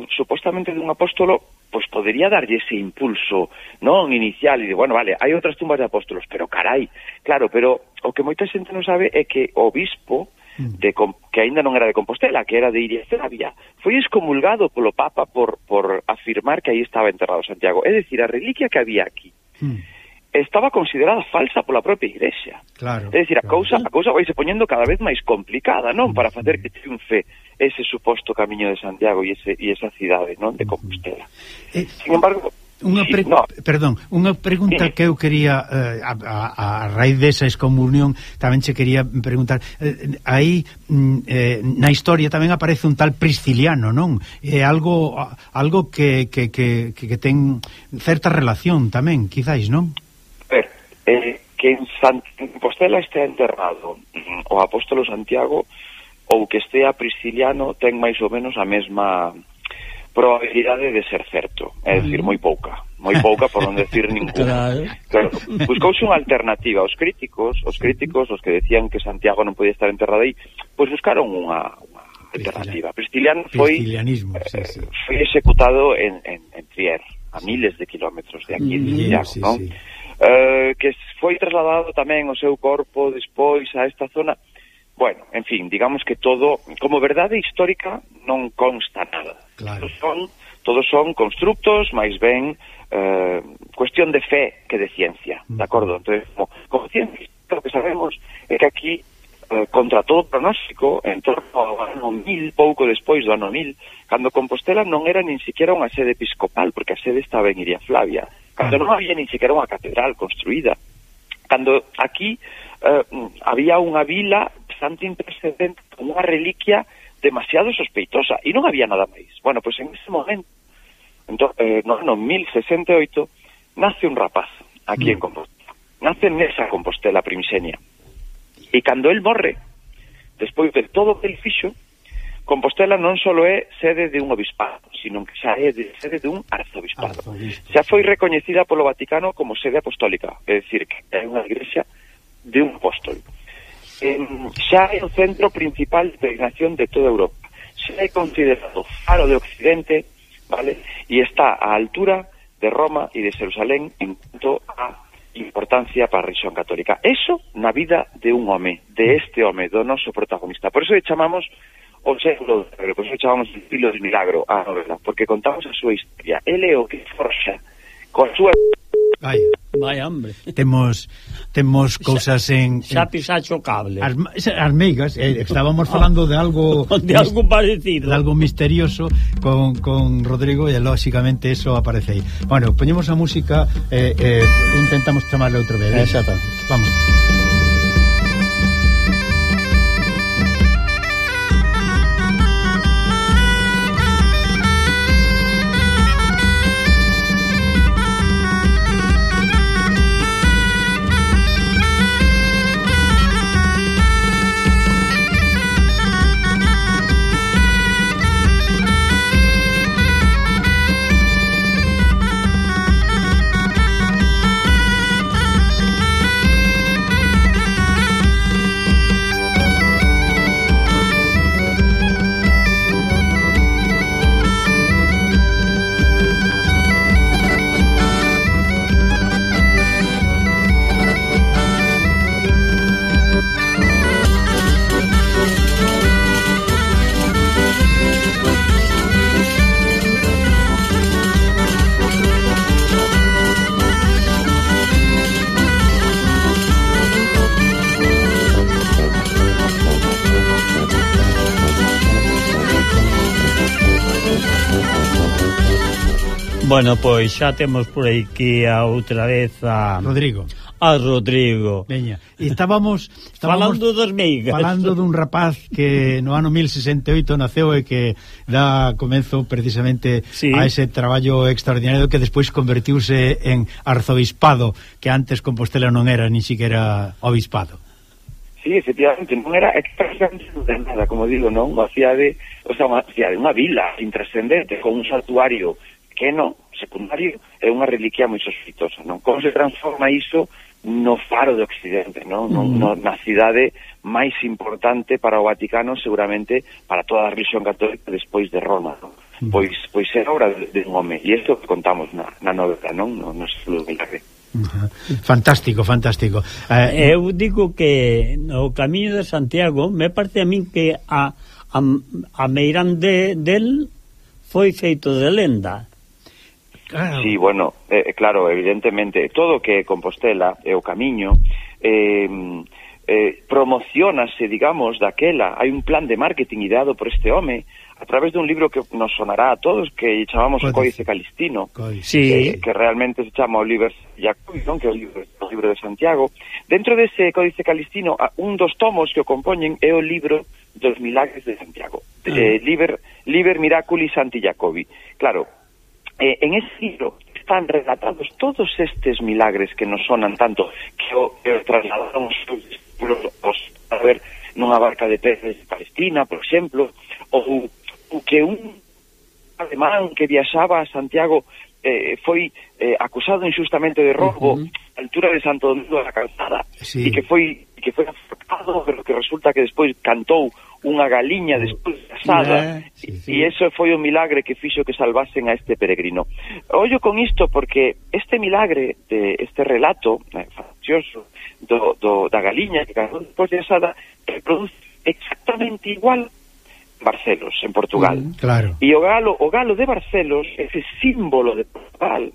S13: supostamente dun apóstolo, pois podería darlle ese impulso, non, inicial, e de, bueno, vale, hai outras tumbas de apóstolos, pero carai, claro, pero o que moita xente non sabe é que o obispo que aínda non era de Compostela, que era de Iria Flavia, foi excomulgado polo Papa por afirmar que aí estaba enterrado Santiago. É dicir, a reliquia que había aquí estaba considerada falsa pola propia Igrexa.
S9: Claro,
S13: é dicir, a cousa vai se poñendo cada vez máis complicada, non? Para facer que triunfe ese suposto camiño de Santiago e esa cidade, non? De Compostela. Sin embargo,
S9: Perdón, unha pregunta que eu quería a raíz desa excomunión tamén che quería preguntar, aí na historia tamén aparece un tal Prisciliano, non? É algo que ten certa relación tamén, quizáis, non?
S13: Que en Compostela estea enterrado o apóstolo Santiago ou que estea Prisciliano ten máis ou menos a mesma probabilidade de ser certo, é dicir, moi pouca por non decir ninguna. Claro. Buscouse unha alternativa. Os críticos, os que decían que Santiago non podía estar enterrado aí, pois buscaron unha alternativa. Prisciliano foi executado en Trier, a miles de kilómetros de aquí de Santiago, non? Que foi trasladado tamén o seu corpo despois a esta zona. Bueno, en fin, digamos que todo, como verdade histórica, non consta nada. Claro. Todos son constructos, máis ben cuestión de fe que de ciencia, de acordo? Entonces, como ciencia, lo que sabemos é que aquí, contra todo pronóstico, en torno ao ano 1000, pouco despois do ano 1000, cando Compostela non era nin siquiera unha sede episcopal, porque a sede estaba en Iria Flavia, cando non había nin siquiera unha catedral construída, cando aquí había unha vila bastante intercedente con unha reliquia demasiado sospeitosa e non había nada máis. Bueno, pois en ese momento, no ano 1068, nace un rapaz aquí en Compostela. Nace nesa Compostela primixenia. E cando el morre, despois de todo o que el fixo, Compostela non só é sede de un obispado, sino que xa é sede de un arzobispado. Xa foi recoñecida polo Vaticano como sede apostólica, é dicir, que é unha igrexa de un apóstol. Xa é o centro principal de peregrinación de toda Europa. Xa é considerado faro de Occidente, vale? E está á altura de Roma e de Jerusalén en cuanto a importancia para a religión católica. Eso na vida de un home, de este home, do noso protagonista. Por eso le chamamos o século de milagro, por eso le chamamos el filo de milagro a novela, porque contamos a súa historia. Ele é o que forxa con a súa...
S8: Vai, hombre.
S9: Temos cousas en...
S8: Xa pisacho cable.
S9: As meigas, estábamos falando de algo...
S8: De algo parecido.
S9: De algo misterioso con Rodrigo e, lóxicamente, eso aparece aí. Bueno, poñemos a música intentamos chamarle outra vez.
S8: Exactamente.
S9: Vamos.
S8: Bueno, pois xa temos por aquí a outra vez a
S9: Rodrigo.
S8: Veña,
S9: e estábamos
S8: falando dos meigas.
S9: Falando dun rapaz que no ano 1068 naceu e que dá comenzo precisamente a ese traballo extraordinario que despois convertiuse en arzobispado, que antes Compostela non era ni siquiera obispado.
S13: Sí, efectivamente, non era exactamente nada, como digo, non? Unha cidade, unha vila intrascendente con un santuario pequeno, secundario, é unha reliquia moi sospeitosa, non? Como se transforma iso no faro de Occidente, non? Na cidade máis importante para o Vaticano, seguramente para toda a religión católica despois de Roma, non? Pois é obra de un home, e isto que contamos na novela, non? No século milagre.
S9: Fantástico.
S8: Eu digo que no Camiño de Santiago me parece a min que a meirán del foi feito de lenda.
S13: Sí, bueno, claro, evidentemente todo que é Compostela e o Camiño promocionase, digamos, daquela. Hai un plan de marketing ideado por este home a través dun libro que nos sonará a todos, que chamamos o Códice Calistino, que realmente se chama o Liber Jacobi, non? Que é o libro de Santiago. Dentro dese Códice Calistino, un dos tomos que o compoñen é o libro dos milagres de Santiago, Liber Miraculi Santi Jacobi. Claro, en ese libro están relatados todos estes milagres que nos sonan tanto, que o trasladaron os seus discípulos a ver nunha barca de peces de Palestina, por exemplo, ou que un alemán que viaxaba a Santiago foi acusado injustamente de roubo a altura de Santo Domingo da Calzada, e que foi aforcado, pero que resulta que despois cantou unha galiña despois de asada, e eso foi o milagre que fixo que salvasen a este peregrino. Ollo con isto porque este milagre, este relato fantasioso da galiña que cantou despois de asada, reproduce exactamente igual Barcelos, en Portugal.
S9: Claro.
S13: E o galo de Barcelos, ese símbolo de Portugal,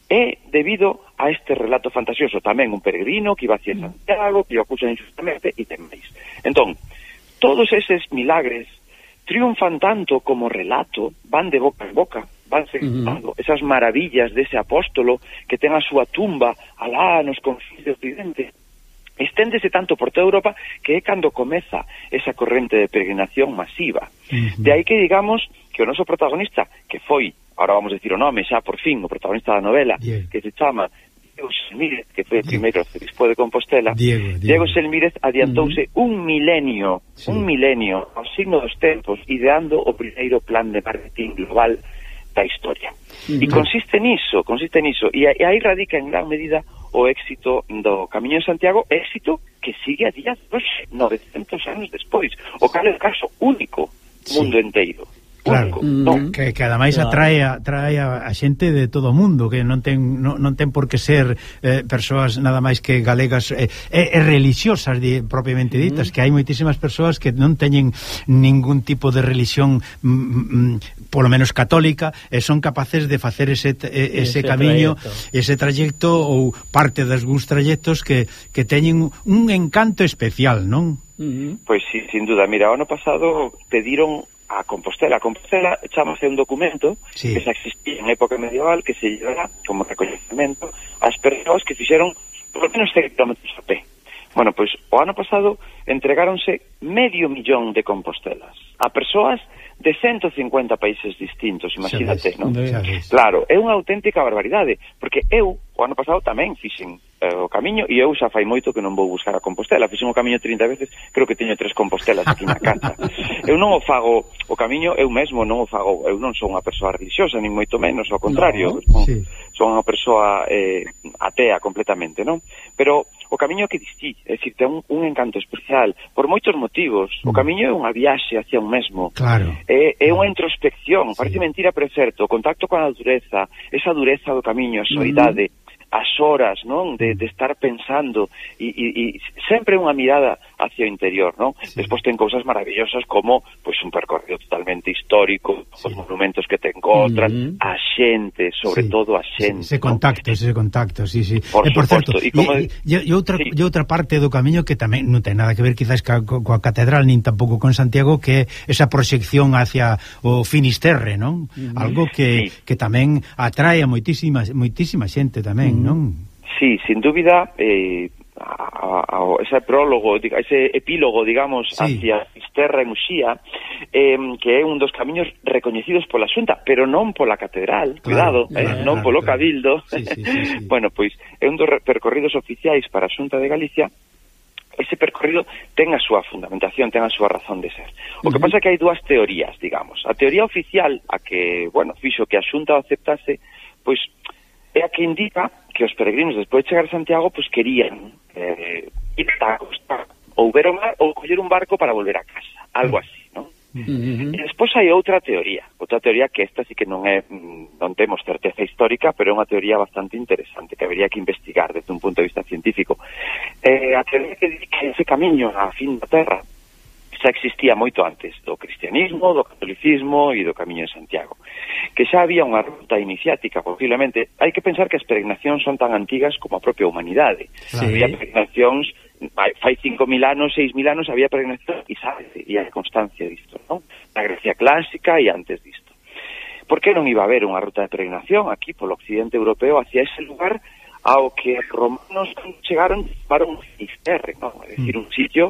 S13: é debido a este relato fantasioso. Tamén un peregrino que iba hacia Santiago, que o acusan injustamente, e teméis. Entón, todos eses milagres triunfan tanto como relato, van de boca en boca, van seguindo esas maravillas dese apóstolo que ten a súa tumba alá nos confins de Occidente. Esténdese tanto por toda Europa que é cando comeza esa corrente de peregrinación masiva. De aí que digamos que o noso protagonista, que foi, ahora vamos a decir o nome xa por fin, o protagonista da novela, que se chama Diego Selmírez, que foi o primeiro arzobispo de Compostela, Diego Selmírez adiantouse un milenio ao signo dos tempos, ideando o primeiro plan de marketing global da historia. E consiste niso, e aí radica en gran medida o éxito do Camiño de Santiago, éxito que sigue a día de hoxe, 900 anos despois, o cal é o caso único mundo inteiro.
S9: Claro, que ademais atrae a xente de todo o mundo, que non ten por que ser persoas nada máis que galegas e religiosas propiamente ditas, que hai moitísimas persoas que non teñen ningún tipo de religión polo menos católica, e son capaces de facer ese camiño, ese trayecto ou parte dos trayectos que teñen un encanto especial, non?
S13: Pois sí, sin duda. Mira, o ano pasado pediron a Compostela chamase un documento que xa existía en época medieval, que se llevará como recoñecemento ás persoas que fixeron por lo menos 100 kilómetros a pé. Bueno, pois o ano pasado entregáronse 500.000 de Compostelas a persoas de 150 países distintos, imagínate, non? Claro, é unha auténtica barbaridade, porque eu o ano pasado tamén fixen o camiño, e eu xa fai moito que non vou buscar a Compostela. Fixen o camiño 30 veces, creo que teño 3 Compostelas aquí na casa. Eu non o fago o camiño, eu mesmo non o fago, eu non sou unha persoa religiosa, nin moito menos, ao contrario, son unha persoa atea completamente, non? Pero o camiño que distí, é dicir, ten un encanto especial por moitos motivos. O camiño é unha viaxe hacia un mesmo, é unha introspección, parece mentira, pero é certo, o contacto con a dureza, esa dureza do camiño, a soidade, as horas, non? De estar pensando e sempre unha mirada hacia o interior, non? Sí. Despois ten cousas maravillosas como pois un percorrido totalmente histórico, os monumentos que te encontras, a xente, sobre todo a xente.
S9: Ese contacto, sí.
S13: Por
S9: certo, e outra parte do camiño que tamén non ten nada que ver quizás coa catedral, nin tampouco con Santiago, que é esa proxección hacia o Finisterre, non? Algo que tamén atrae a moitísima xente tamén, non?
S13: Sí, sin dúbida, ese prólogo, ese epílogo, digamos, hacia Fisterra e Muxía, que é un dos camiños recoñecidos pola Xunta, pero non pola catedral, cuidado, non polo Cabildo. Bueno, pois é un dos percorridos oficiais para a Xunta de Galicia. Ese percorrido ten a súa fundamentación, ten a súa razón de ser. O que pasa é que hai dúas teorías, digamos. A teoría oficial, a que, fixo que a Xunta o aceptase, pois é a que indica que os peregrinos, despois de chegar a Santiago, pois querían ir a costa, ou ver o mar, ou coller un barco para volver a casa, algo así, non? E despois hai outra teoría que esta sí que non temos certeza histórica, pero é unha teoría bastante interesante que habería que investigar desde un punto de vista científico. A teoría que dice que ese camiño á fin da Terra xa existía moito antes do cristianismo, do catolicismo e do Camiño de Santiago, que xa había unha ruta iniciática posiblemente. Hai que pensar que as peregrinacións son tan antigas como a propia humanidade. Había peregrinacións fai 5.000 anos, 6.000 anos había peregrinación e hai constancia disto, non? Na Grecia clásica e antes disto. Por que non iba a haber unha ruta de peregrinación aquí polo occidente europeo hacia ese lugar ao que os romanos chegaron para un Finisterre, non? É dicir, un sitio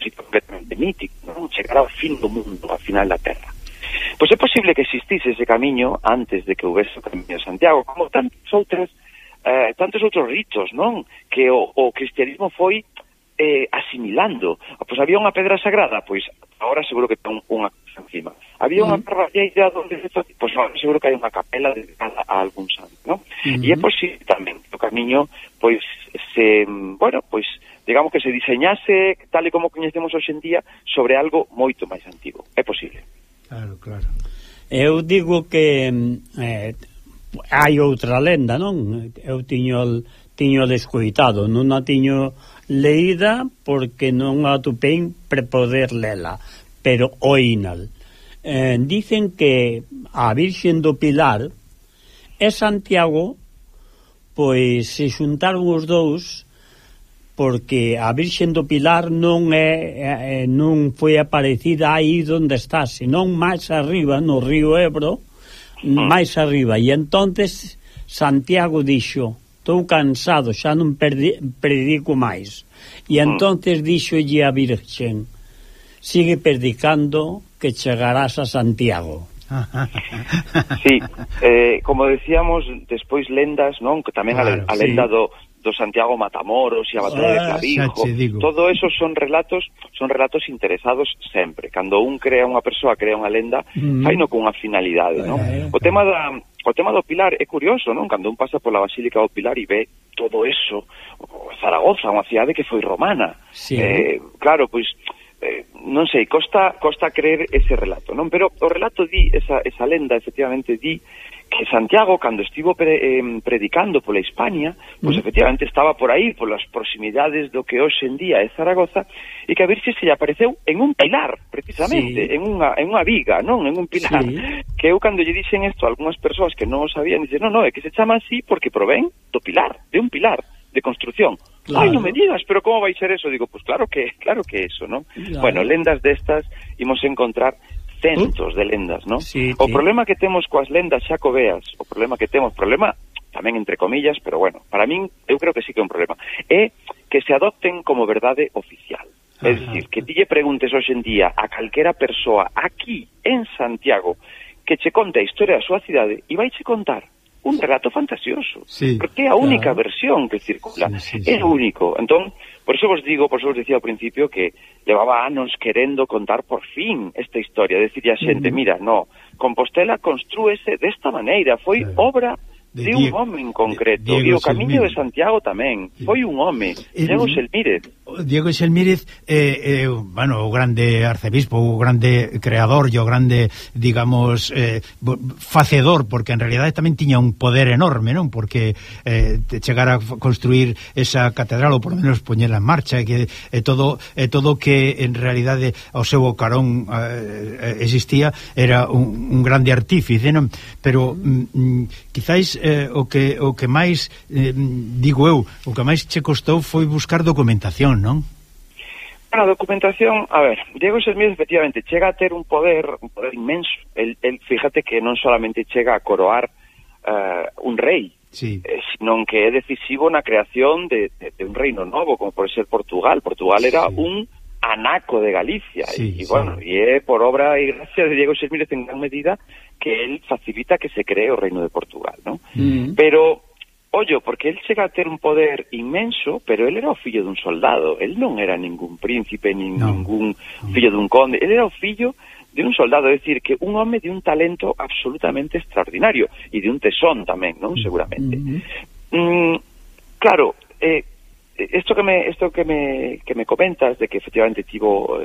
S13: completamente mítico, non? Chegar ao fin do mundo, ao final da Terra. Pois é posible que existise ese camiño antes de que houvese o Camiño de Santiago, como tantos outros ritos, non? Que o cristianismo foi asimilando. Pois había unha pedra sagrada, pois agora seguro que ten unha cosa encima. Había unha parroquia onde pois agora seguro que hai unha capela dedicada a algún santo, non? E é posible tamén o camiño pois digamos que se diseñase tal e como coñecemos hoxe en día sobre algo moito máis antigo. É posible.
S9: Claro.
S8: Eu digo que hai outra lenda, non? Eu tiño descoitado, non a tiño leída porque non a atopei para poder lela, pero oínal. Dicen que a Virxen do Pilar e Santiago pois se xuntaron os dous porque a Virxen do Pilar non foi aparecida aí onde está, senón máis arriba no río Ebro, máis arriba, e entonces Santiago dixo: estou cansado, xa non predico máis. E entonces díxolle a Virxen: sigue predicando que chegarás a Santiago.
S13: Sí, como decíamos, despois lendas, non? Que tamén a lenda do Santiago Matamoros e a batalla de Clavijo, todo eso son relatos interesados sempre. Cando unha persoa crea unha lenda, faino con unha finalidade, non? O tema do Pilar é curioso, non? Cando un pasa pola Basílica do Pilar e ve todo eso, Zaragoza, unha cidade que foi romana. Claro, pois non sei, costa creer ese relato, non? Pero o relato esa lenda efectivamente di que Santiago, cando estivo predicando pola Hispania, pois efectivamente estaba por aí, polas proximidades do que hoxe en día é Zaragoza, e que a Virxe se lle apareceu en un pilar, precisamente, en unha viga, non? En un pilar. Que eu, cando lle dixen isto a algunhas persoas que non o sabían, dicen, non, é que se chama así porque provén do pilar, de un pilar de construcción. Ai, non me digas, pero como vai ser eso? Digo, pues claro que eso, non? Bueno, lendas destas imos encontrar centos de lendas, non? O problema que temos coas lendas xacobeas, problema tamén entre comillas, pero bueno, para min, eu creo que sí que é un problema, é que se adopten como verdade oficial. É dicir, que ti lle preguntes hoxe en día a calquera persoa aquí en Santiago que che conte a historia da súa cidade e vai che contar un relato fantasioso, porque é a única versión que circula, é o único. Entón, por eso vos decía ao principio que levaba anos querendo contar por fin esta historia, decirle a xente, mira, no, Compostela construese desta maneira, foi obra de un home en concreto, e o Camiño de Santiago tamén, foi un home, Diego Xelmírez.
S9: Diego Xelmírez, bueno, o grande arcebispo, o grande creador, e o grande, digamos, facedor, porque en realidade tamén tiña un poder enorme, non? Porque chegar a construir esa catedral, ou por lo menos poñela en marcha, que todo que en realidade ao seu carón existía, era un grande artífice, non? Pero quizáis o que máis digo eu, o que máis che costou foi buscar documentación, non?
S13: Bueno, a documentación, a ver, Diego Xelmírez efectivamente chega a ter un poder inmenso. El fíjate que non solamente chega a coroar un rei, sí, sino que é decisivo na creación de un reino novo, como pode ser Portugal. Portugal era un anaco de Galicia, y bueno, e é por obra e gracia de Diego Xelmírez en gran medida que él facilita que se cree o reino de Portugal, ¿no? Pero, ollo, porque él chega a ter un poder inmenso, pero él era o fillo dun soldado, él non era ningún príncipe, ningún fillo dun conde, él era o fillo de un soldado, é dicir, que un home de un talento absolutamente extraordinario, e de un tesón tamén, non? Seguramente. Claro, Esto que me comentas de que efectivamente tivo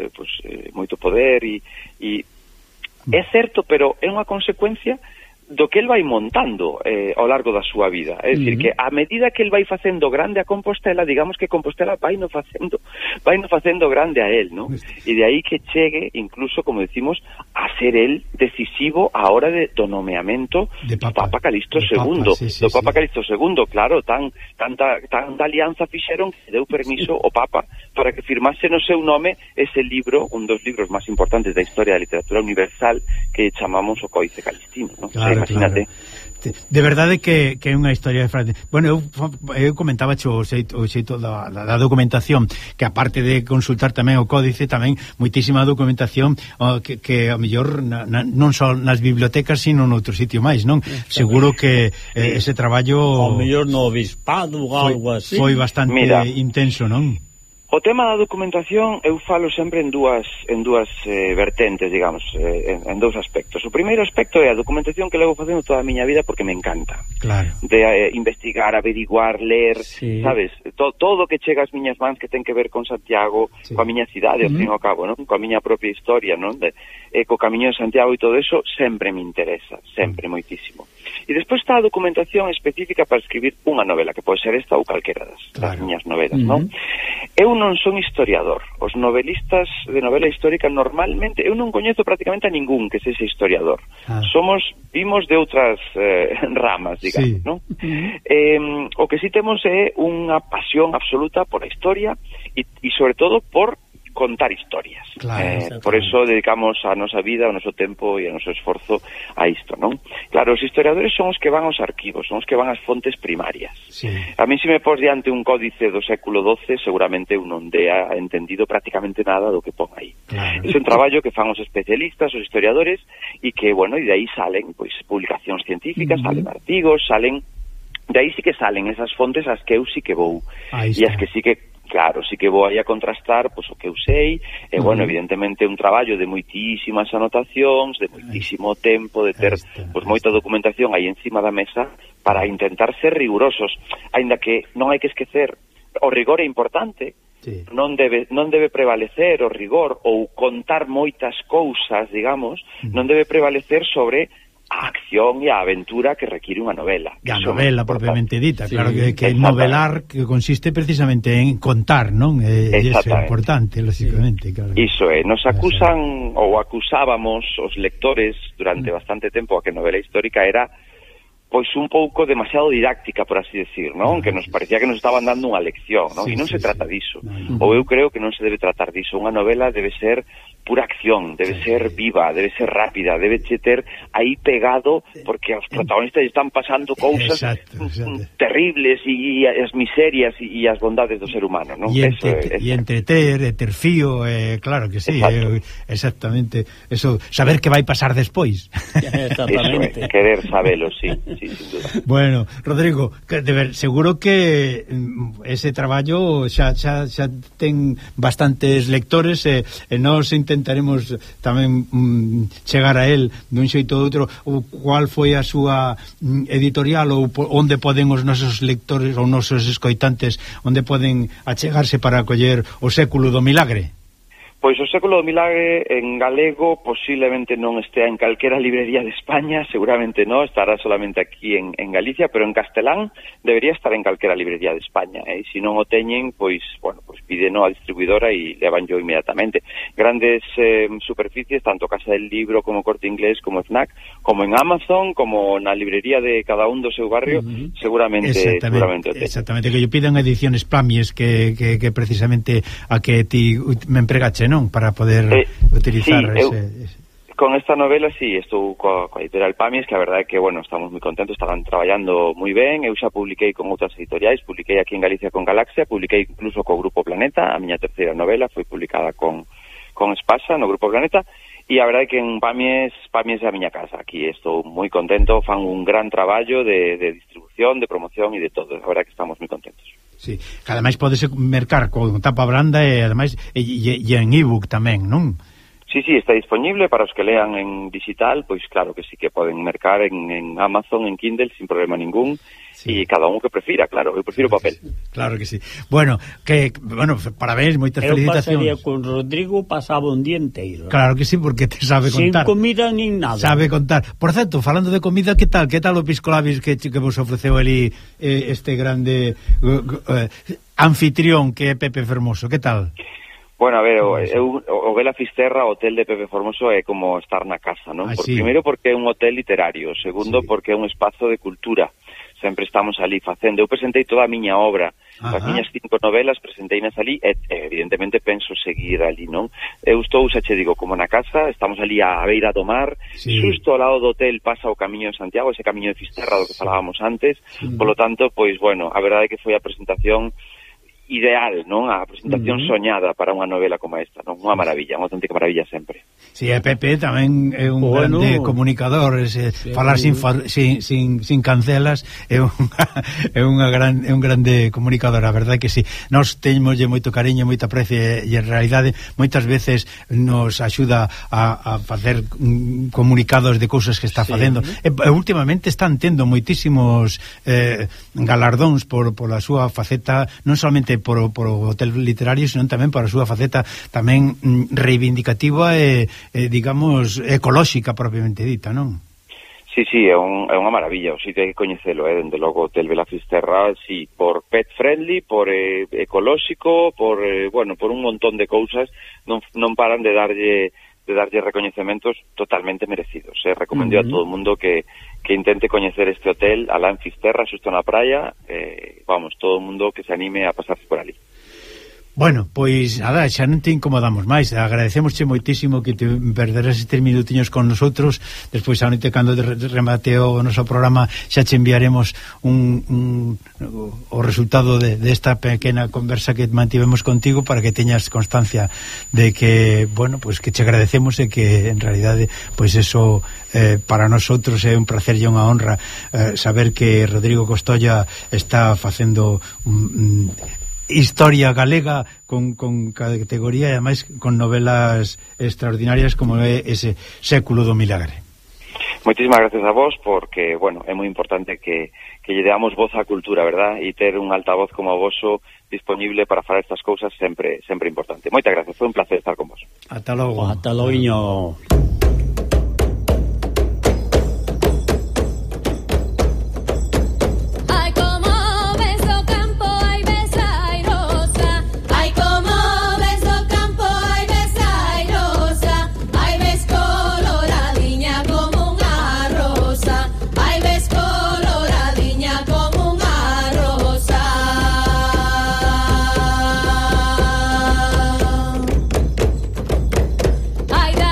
S13: moito poder e é certo, pero é unha consecuencia do que el vai montando ao largo da súa vida. É dicir, que a medida que el vai facendo grande a Compostela, digamos que Compostela vai no facendo grande a él, ¿no? E de aí que chegue, incluso, como decimos, a ser el decisivo a hora do nomeamento do Papa Calixto II. Do Papa Calixto II, claro, tanta alianza fixeron que deu permiso ao Papa para que firmase no seu nome ese libro, un dos libros máis importantes da historia da literatura universal, que chamamos o Códice Calistino, ¿no?
S9: Claro, imagínate. Claro. De verdade que é unha historia de frente. Bueno, eu comentaba o xeito da documentación, que aparte de consultar tamén o códice, tamén moitísima documentación que a mellor non só nas bibliotecas, sino noutro sitio máis, non? Seguro que ese traballo
S8: ao mellor no obispado ou algo así
S9: foi bastante intenso, non?
S13: O tema da documentación eu falo sempre en dúas vertentes, digamos, en dous aspectos. O primeiro aspecto é a documentación que levo facendo toda a miña vida porque me encanta.
S9: Claro.
S13: De investigar, averiguar, ler, sabes? Todo que chega ás miñas mans que ten que ver con Santiago, coa miña cidade, ao fin e ao cabo, non? Coa miña propia historia, non? Co Camiño de Santiago e todo eso sempre me interesa, sempre, moitísimo. E despois está a documentación específica para escribir unha novela, que pode ser esta ou calquera das miñas novelas, non? Eu non son historiador. Os novelistas de novela histórica normalmente, eu non coñezo prácticamente a ningún que sexa historiador. Vimos de outras ramas, digamos, non? O que sí temos é unha pasión absoluta por a historia e sobre todo por contar historias.
S9: Claro,
S13: por eso dedicamos a nosa vida, o noso tempo e o noso esforzo a isto, non? Claro, os historiadores son os que van aos arquivos, son os que van ás fontes primarias. A mí se me pos diante un códice do século XII, seguramente eu non dea entendido prácticamente nada do que pon aí. É un traballo que fan os especialistas, os historiadores, e que, bueno, e de aí salen, pois, publicacións científicas, salen artigos, de aí sí que salen esas fontes as que eu sí que vou, e as que sí que claro, sí que vou aí a contrastar pois o que eu sei, e bueno, evidentemente un traballo de moitísimas anotacións, de moitísimo tempo, de ter pois moita documentación aí encima da mesa para intentar ser rigurosos, aínda que non hai que esquecer, o rigor é importante, non debe prevalecer o rigor ou contar moitas cousas, digamos, non debe prevalecer sobre a acción e a aventura que require unha novela.
S9: A novela propiamente dita, claro que novelar que consiste precisamente en contar, non? Iso é importante, lógicamente. Claro.
S13: Iso é, nos acusan ou acusábamos os lectores durante bastante tempo a que novela histórica era pois un pouco demasiado didáctica, por así decir, non? Que nos parecía que nos estaban dando unha lección, non? E non se trata diso. Ou eu creo que non se debe tratar diso. Unha novela debe ser pura acción, debe ser viva, debe ser rápida, debe ter aí pegado, porque os protagonistas están pasando cousas terribles e as miserias e as bondades do ser humano, non?
S9: E entreter, ter fío, claro que sí, exactamente. Eso, saber que vai pasar despois.
S13: Exactamente. Querer sabelo, sí, sin duda.
S9: Bueno, Rodrigo, seguro que ese traballo xa ten bastantes lectores e nos intentaremos tamén chegar a él dun xeito ou outro, ou cual foi a súa editorial, ou onde poden os nosos lectores ou nosos escoitantes, onde poden achegarse para acoller o século do milagre.
S13: Pois o século do milagre en galego posiblemente non estea en calquera librería de España, seguramente non, estará solamente aquí en Galicia, pero en castelán debería estar en calquera librería de España, e se non o teñen, pois, bueno, pois pídeno a distribuidora e levan yo inmediatamente. Grandes superficies, tanto Casa del Libro como Corte Inglés, como FNAC, como en Amazon, como na librería de cada un do seu barrio, seguramente o teñen.
S9: Exactamente, que yo pidan ediciones Plamies, que precisamente a que ti me empregache, non? Para poder utilizar ese...
S13: Con esta novela, sí, estou coa editorial Pamies, que a verdade é que, bueno, estamos moi contentos, estaban traballando moi ben. Eu xa publiquei con outras editoriais, publiquei aquí en Galicia con Galaxia, publiquei incluso co Grupo Planeta, a miña terceira novela foi publicada con Espasa no Grupo Planeta, e a verdade é que en Pamies é a miña casa. Aquí estou moi contento, fan un gran traballo de distribución, de promoción e de todo. A verdade é que estamos moi contentos.
S9: Sí, que ademais podese mercar con tapa branda e ademais e en ebook tamén, non?
S13: Sí, está disponible para os que lean en digital, pois claro que sí que poden mercar en Amazon, en Kindle, sin problema ningún, e cada un que prefira, claro, eu prefiro papel.
S9: Claro que sí. Bueno, parabéns, moitas felicitacións.
S8: Eu pasaría con Rodrigo, pasaba un día inteiro.
S9: Claro que sí, porque te sabe contar.
S8: Sin comida nin nada.
S9: Sabe contar. Por certo, falando de comida, que tal o pisco labis que vos ofreceu ali este grande anfitrión que é Pepe Fermoso, que tal?
S13: Bueno, a ver, o Vela Fisterra, o hotel de Pepe Formoso, é como estar na casa, non? Primeiro porque é un hotel literario, segundo porque é un espazo de cultura. Sempre estamos ali facendo. Eu presentei toda a miña obra, as miñas 5 novelas, presenteinas ali, e evidentemente penso seguir ali, non? Eu estou, xa che digo, como na casa, estamos ali á beira do mar, xusto ao lado do hotel pasa o Camiño de Santiago, ese Camiño de Fisterra do que falábamos antes, polo tanto, pois, bueno, a verdade é que foi a presentación ideal, non? A presentación soñada para unha novela como esta, non? Unha maravilla, unha auténtica maravilla sempre.
S9: Si, sí, Pepe tamén é un grande comunicador, falar sin cancelas é un grande comunicador, a verdade que si. Nós teñmoslle moito cariño, moita aprecio e en realidade moitas veces nos axuda a facer comunicados de cousas que está facendo. E últimamente están tendo moitísimos galardóns por a súa faceta, non solamente por o hotel literario, senón tamén por a súa faceta tamén reivindicativa e digamos, ecolóxica propiamente dita, non?
S13: Sí, é unha maravilla, o sitio hai que coñecelo, dende logo Hotel Vela Fisterra, sí, por pet friendly, por ecolóxico, por un montón de cousas, non paran de darlle recoñecementos totalmente merecidos. Recomendo a todo o mundo que intente coñecer este hotel, alá en Fisterra, xusto na praia, todo o mundo que se anime a pasarse por ali.
S9: Bueno, pois nada, xa non te incomodamos máis. Agradecemosche moitísimo que te perderas estes minutiños con nosotros. Despois a noite, cando remate o noso programa, xa che enviaremos o resultado desta pequena conversa que mantivemos contigo, para que teñas constancia de que, bueno, pois que che agradecemos, e que en realidade, pois eso para nosotros é un placer e unha honra saber que Rodrigo Costolla está facendo historia galega con categoría, e ademais con novelas extraordinarias como é ese Século do Milagre.
S13: Moitísimas gracias a vos, porque, bueno, é moi importante que lle deamos voz á cultura, verdad? E ter un altavoz como o voso disponible para falar estas cousas sempre importante. Moitas gracias, foi un placer estar con vos.
S9: Ata logo.
S8: Ata logo.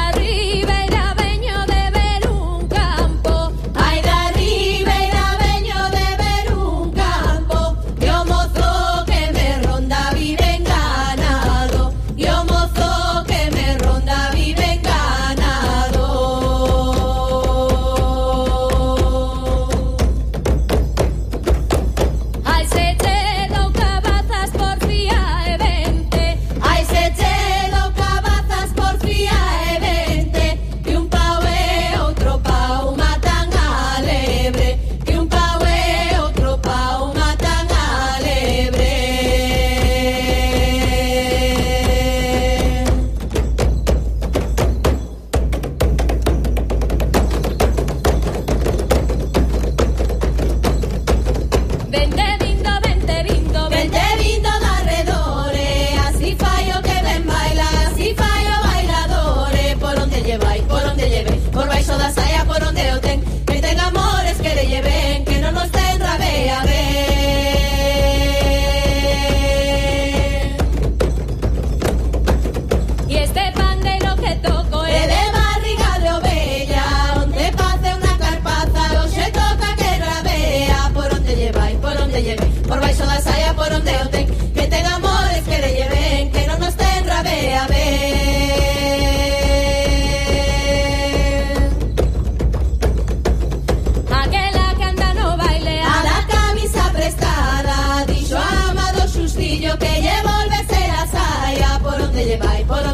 S14: Arriba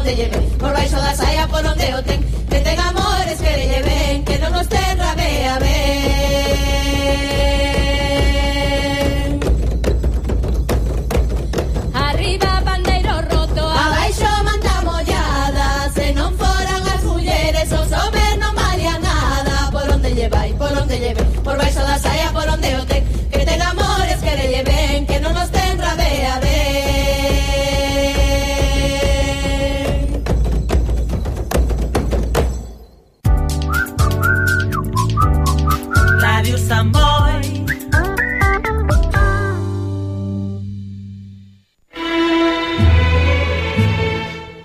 S14: onde lleve, por baixo da saia por onde o ten, que ten amores que le lleven, que non nos ten rabea ben. Arriba bandeiro roto, abaixo manta mollada, se non foran as mulleres os homes non valían nada, por onde llevai, por onde lleve, por baixo da saia por onde o ten, que ten amores que le lleven, que non nos ten rabea ben.
S4: Ràdio Sant Boi.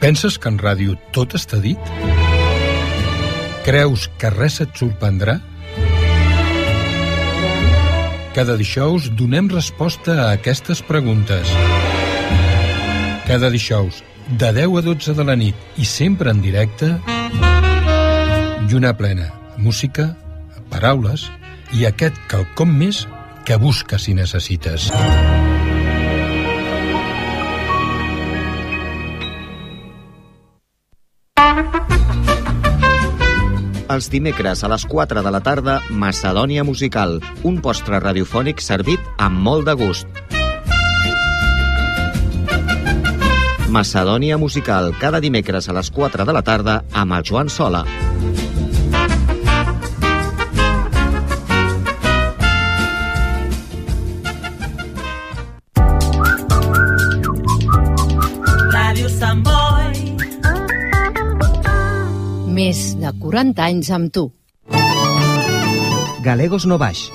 S15: Penses que en ràdio tot està dit? Creus que res et sorprendrà? Cada dijous donem resposta a aquestes preguntes. Cada dijous, de 10 a 12 de la nit i sempre en directe, lluna plena, música, paraules i aquest quelcom més que busques i necessites.
S5: Els dimecres a les 4 de la tarda, Macedònia Musical, un postre radiofònic servit amb molt de gust. Macedònia Musical, cada dimecres a les 4 de la tarda amb el Joan Sola.
S4: Ràdio Sant Boi.
S1: Més de 40 anys amb tu.
S16: Galegos no baix.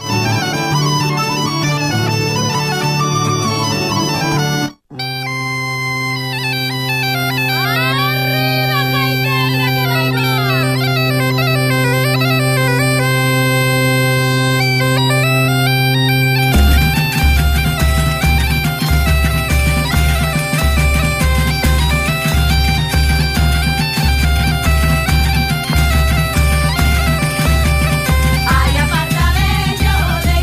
S14: Ay, aparta bello de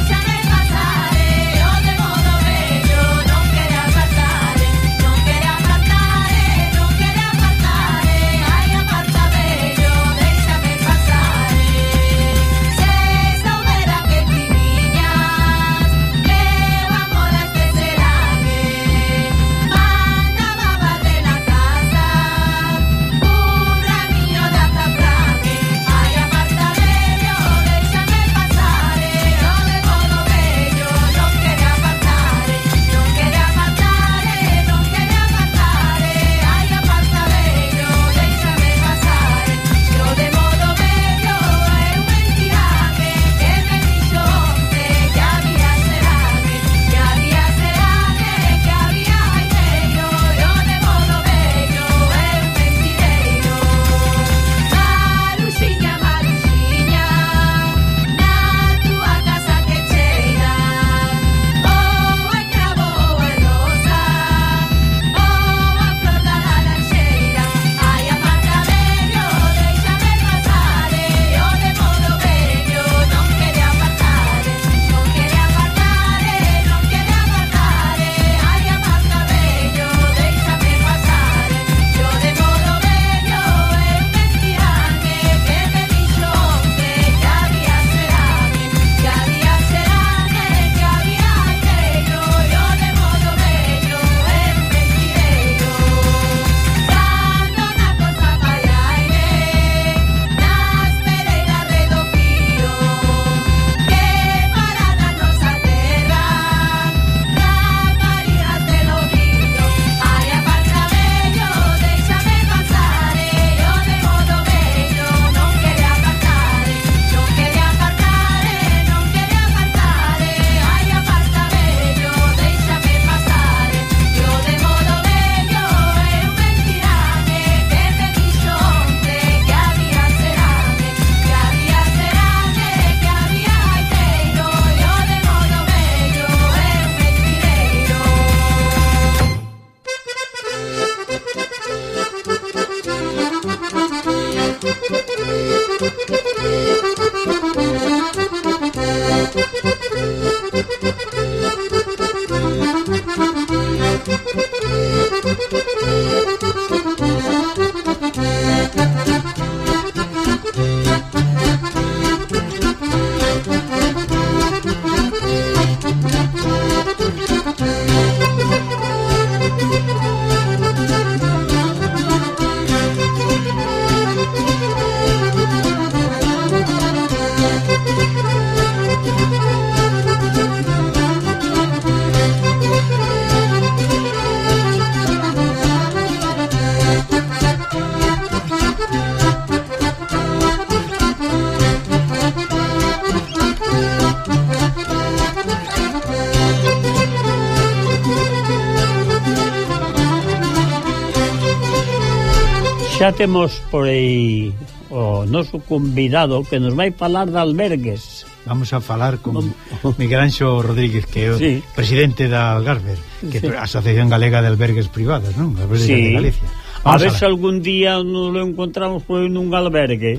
S8: xa temos por aí o noso convidado que nos vai falar de albergues.
S9: Vamos a falar con Miguel Anxo Rodríguez, que é o presidente da Algarver, que é a Asociación Galega de Albergues Privados, non? Albergues de Galicia.
S8: A ver se algún día nos lo encontramos por nun albergue.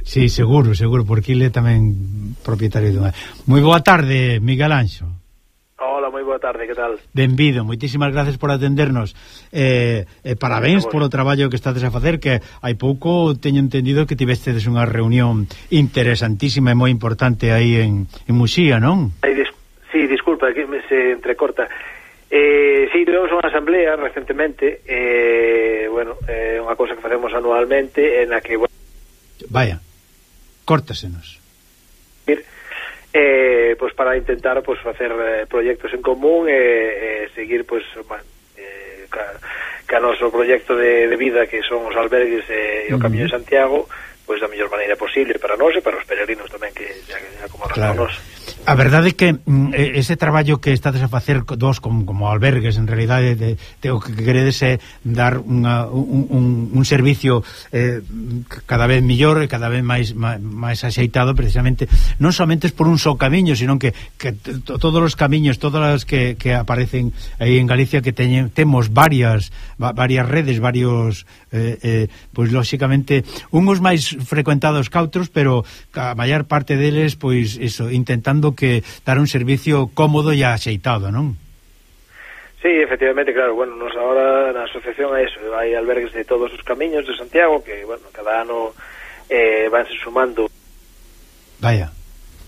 S9: Sí, seguro, porque ele é tamén propietario dunha. Moi boa tarde, Miguel Anxo.
S16: Hola, moi boa tarde, que tal?
S9: Benvido, moitísimas gracias por atendernos. Parabéns polo traballo que estades a facer, que hai pouco teño entendido que tivestedes unha reunión interesantísima e moi importante aí en Muxía, non?
S16: Sí, disculpa, que se entrecorta. Sí, tuvemos unha asamblea recentemente, bueno, unha cousa que facemos anualmente, en a que...
S9: Vaya, córtasenos.
S16: Pues para intentar pues facer proxectos en común e seguir pues ca noso proxecto de vida que son os albergues e o Camiño de Santiago, pues da mellor maneira posible para nós e para os peregrinos tamén que ya como nos.
S9: A verdade é que ese traballo que estades a facer vos como albergues, en realidade o que queredes é dar un servicio cada vez millor e cada vez máis axeitado, precisamente non somente por un só camiño, sino que todos os camiños, todas as que aparecen aí en Galicia, que temos varias redes, varios pois lóxicamente uns máis frecuentados que outros, pero a maior parte deles pois eso, intentando que dar un servicio cómodo e axeitado, non?
S16: Sí, efectivamente, claro, bueno, nos agora na asociación é eso, hai albergues de todos os camiños de Santiago que, bueno, cada ano vanse sumando.
S9: Vaya,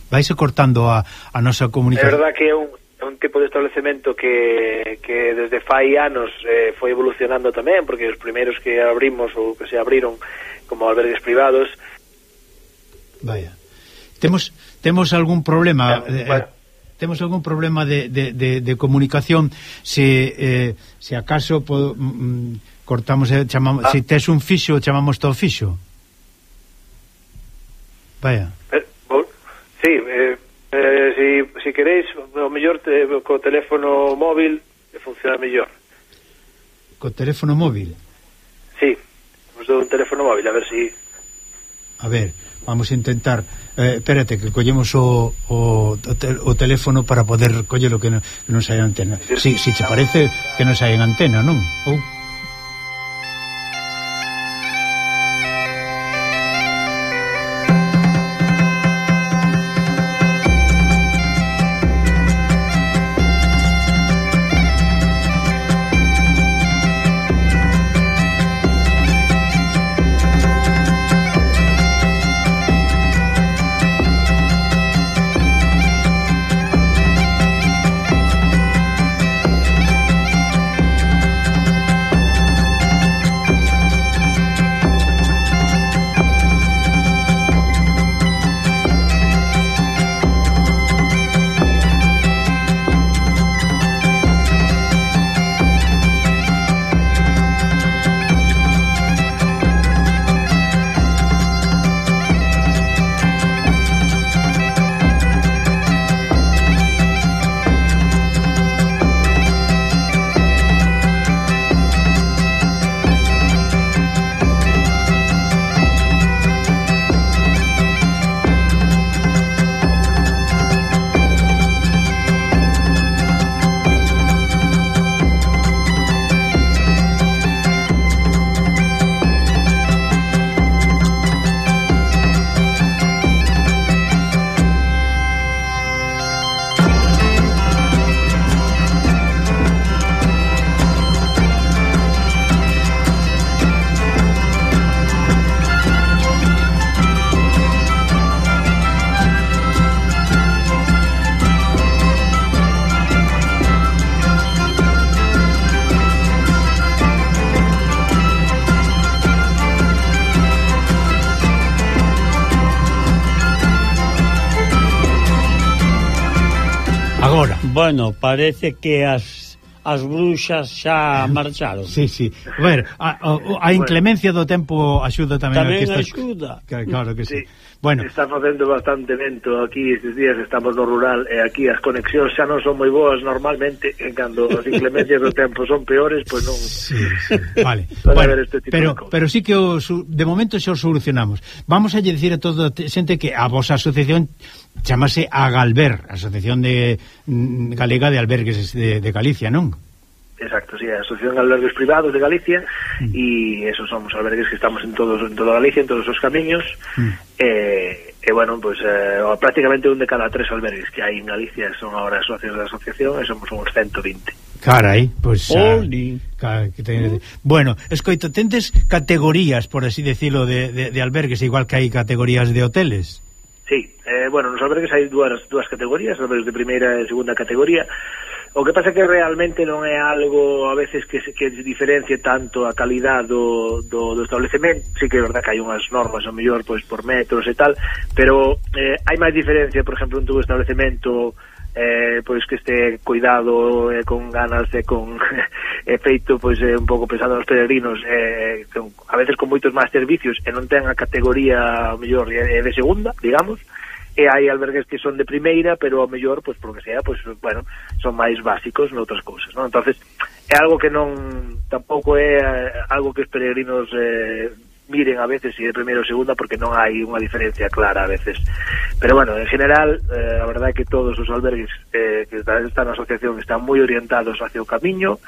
S9: vaise cortando a nosa comunicación.
S16: É verdad que é un tipo de establecemento que desde fai anos foi evolucionando tamén, porque os primeiros que abrimos ou que se abriron como albergues privados.
S9: Vaya, temos algún problema temos algún problema de comunicación, se acaso cortamos, chamamos, se tes un fixo, chamamos todo fixo. Vaya.
S16: Sí, si queréis, o mellor co teléfono móvil funciona mellor.
S9: Co teléfono móvil?
S16: Sí, vos dou un teléfono móvil, a ver si...
S9: A ver, vamos a intentar... espérate, que collemos o teléfono para poder coller o que non sai en antena. Si te parece que non sai en antena, non?
S8: Bueno, parece que as bruxas xa marcharon.
S9: Sí. A inclemencia do tempo axuda tamén.
S8: Tamén axuda.
S9: Claro que sí. Bueno,
S16: está facendo bastante vento aquí estes días, estamos no rural e aquí as conexións xa non son moi boas normalmente, en cando as inclemencias do tempo son peores, pois non.
S9: Sí, vale. Bueno, pero sí que de momento xa o solucionamos. Vamos a dicir a toda a xente que a vosa asociación chamase Agalber, Asociación Galega de Albergues de Galicia, non?
S16: Exacto, sí, a Asociación de Albergues Privados de Galicia, e esos somos albergues que estamos en toda Galicia, en todos os camiños, e bueno, pues prácticamente un de cada 3 albergues que hai en Galicia son ahora socios da asociación, e somos uns 120.
S9: Carai, pues bueno, escoito, tendes categorías, por así decirlo, de albergues, igual que hai categorías de hoteles?
S16: Sí, bueno, nos albergues hai dúas categorías, albergues de primeira e segunda categoría. O que pasa que realmente non é algo a veces que diferencie tanto a calidad do establecemento. Sí que é verdad que hai unhas normas ao mellor pois por metros e tal, pero hai máis diferencia, por exemplo, en tu establecemento pois que este cuidado con ganas e con feito pois un pouco pensando nos peregrinos, a veces con moitos máis servicios e non ten a categoría ao mellor de segunda, digamos. E hai albergues que son de primeira, pero ao mellor, pois, por que sea, pois, bueno, son máis básicos noutras cousas, non? Entonces, é algo que non, tampouco é algo que os peregrinos miren a veces se é primeira ou segunda, porque non hai unha diferencia clara a veces. Pero, bueno, en general, a verdade é que todos os albergues que están na asociación están moi orientados hacia o camiño,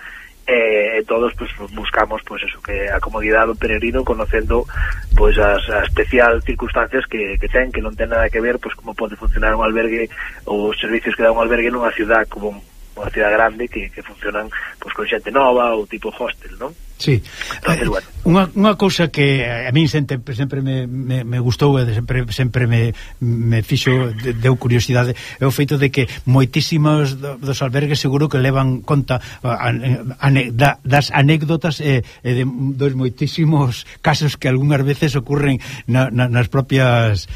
S16: todos pues buscamos pues eso, que a comodidade do peregrino, conocendo pues as especial circunstancias que ten, que non ten nada que ver pues como pode funcionar un albergue ou os servicios que dá un albergue nunha ciudad como unha ciudad grande que funcionan pues con xente nova ou tipo hostel, non?
S9: Sí.
S16: Entonces, bueno.
S9: Unha cousa que a mí sempre me gustou e sempre me fixo, deu curiosidade, é o feito de que moitísimos dos albergues seguro que levan conta das anécdotas e de dos moitísimos casos que algunhas veces ocurren nas propias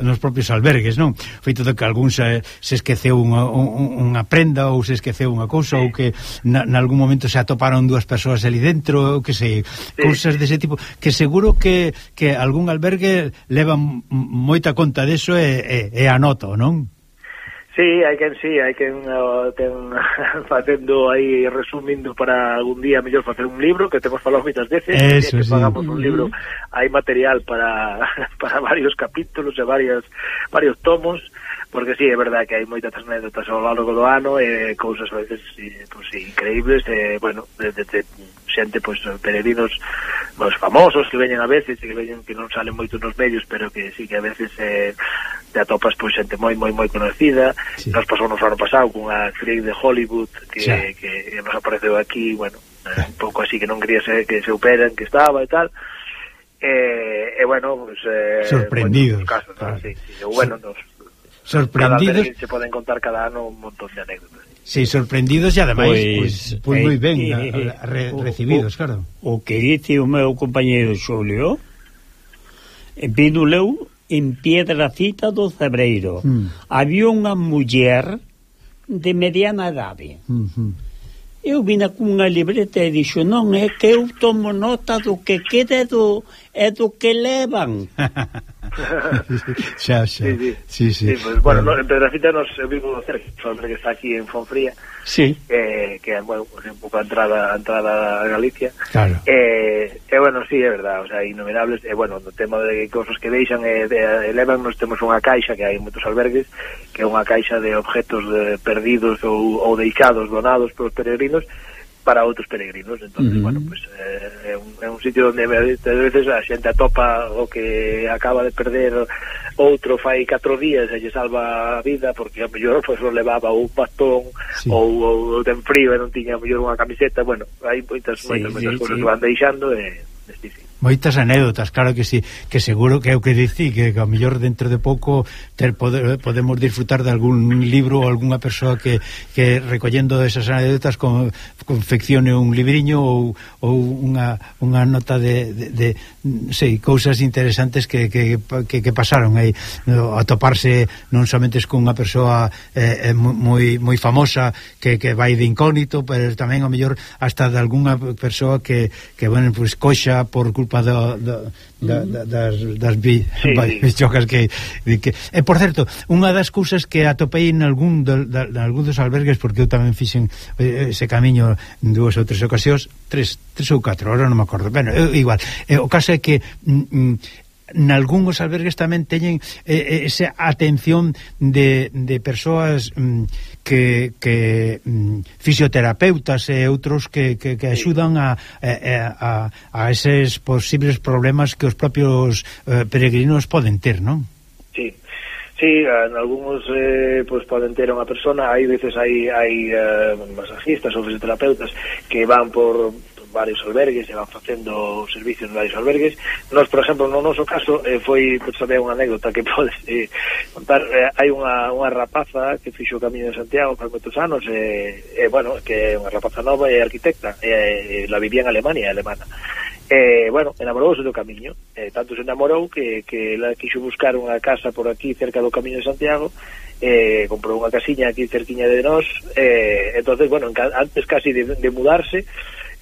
S9: nos propios albergues, non? O feito de que algún se esqueceu unha prenda ou se esqueceu unha cousa ou que nalgún momento se atoparon dúas persoas ali dentro, que sei, cousas dese tipo, que seguro que algún albergue leva moita conta deso e anota, non?
S16: Sí, hai quen ten facendo aí, resumindo para algún día mellor facer un libro, que temos falado moitas veces,
S9: eso,
S16: que pagamos un libro, hai material para varios capítulos e varios tomos, porque sí, é verdade que hai moitas anécdotas ao largo do ano e cousas a veces pues, increíbles, bueno, de xente, pues, peregrinos os famosos que veñen a veces e que non salen moito nos medios, pero que sí que a veces te atopas pues xente moi conocida. Sí. Nos pasou no ano pasado cunha actriz de Hollywood que nos apareceu aquí, bueno, un pouco así que non quería que se operan, que estaba e tal. Bueno, pues
S9: sorprendidos.
S16: Casos, claro. Sí, bueno,
S9: sorprendidos.
S16: Se poden contar cada ano un montón de anécdotas.
S9: Sí, sorprendidos e ademais pues moi ben recibidos, claro.
S8: O que dice o meu compañeiro Xulio, vino leu en Piedracita do Cebreiro. Había unha muller de mediana idade. Eu vina cunha libreta e dixo, non, é que eu tomo nota do que queda e do que levan.
S9: Sí.
S16: Pues, bueno, en Pedrafita nos vivo cerca, que está aquí en Fonfría,
S8: sí.
S16: Que bueno, pues, un pouco a entrada a Galicia.
S9: Claro.
S16: Bueno, sí, é verdad, o sea, innumerables. Bueno, no tema de cousas que deixan elevan, nos temos unha caixa que hai moitos albergues, que é unha caixa de objetos perdidos ou deixados, donados polos peregrinos para outros peregrinos. Entonces, bueno, pues é un sitio onde a veces a xente atopa o que acaba de perder outro fai 4 días e lle salva a vida porque a mellor pues, lo levaba un bastón ou ten frío e non tiña a mellor unha camiseta. Bueno, hai moitas cousas que van deixando
S9: moitas anécdotas, claro que sí, que seguro que é o que dicí, que a mellor dentro de pouco podemos disfrutar de algún libro ou algunha persoa que recollendo esas anécdotas confeccione un libriño ou unha nota de sei, cousas interesantes que pasaron aí, atoparse non somente con unha persoa moi famosa que vai de incógnito, pero tamén a mellor hasta de algunha persoa que bueno, pues coxa por culpa culpa das bichocas que por certo, unha das cousas que atopei en algún dos albergues, porque eu tamén fixen ese camiño en 2 ou 3 ocasións, 3 ou 4, ahora non me acordo, bueno, igual, o caso é que nalgúns albergues tamén teñen esa atención de persoas que fisioterapeutas e outros que axudan a eses posibles problemas que os propios peregrinos poden ter, non?
S16: Sí, en algúns pues poden ter unha persona, hai veces hai masajistas ou fisioterapeutas que van por varios albergues e van facendo servicios en varios albergues. Nós, por exemplo, no noso caso foi, pues, saber unha anécdota que podes contar. Hai unha rapaza que fixo o Camiño de Santiago por moitos anos, bueno, que é unha rapaza nova e arquitecta, la vivía en Alemania, alemana. Bueno, enamorouse do Camiño, tanto se enamorou que ela quixo buscar unha casa por aquí cerca do Camiño de Santiago, comprou unha casiña aquí cerquiña de nós, entonces, bueno, antes casi de mudarse,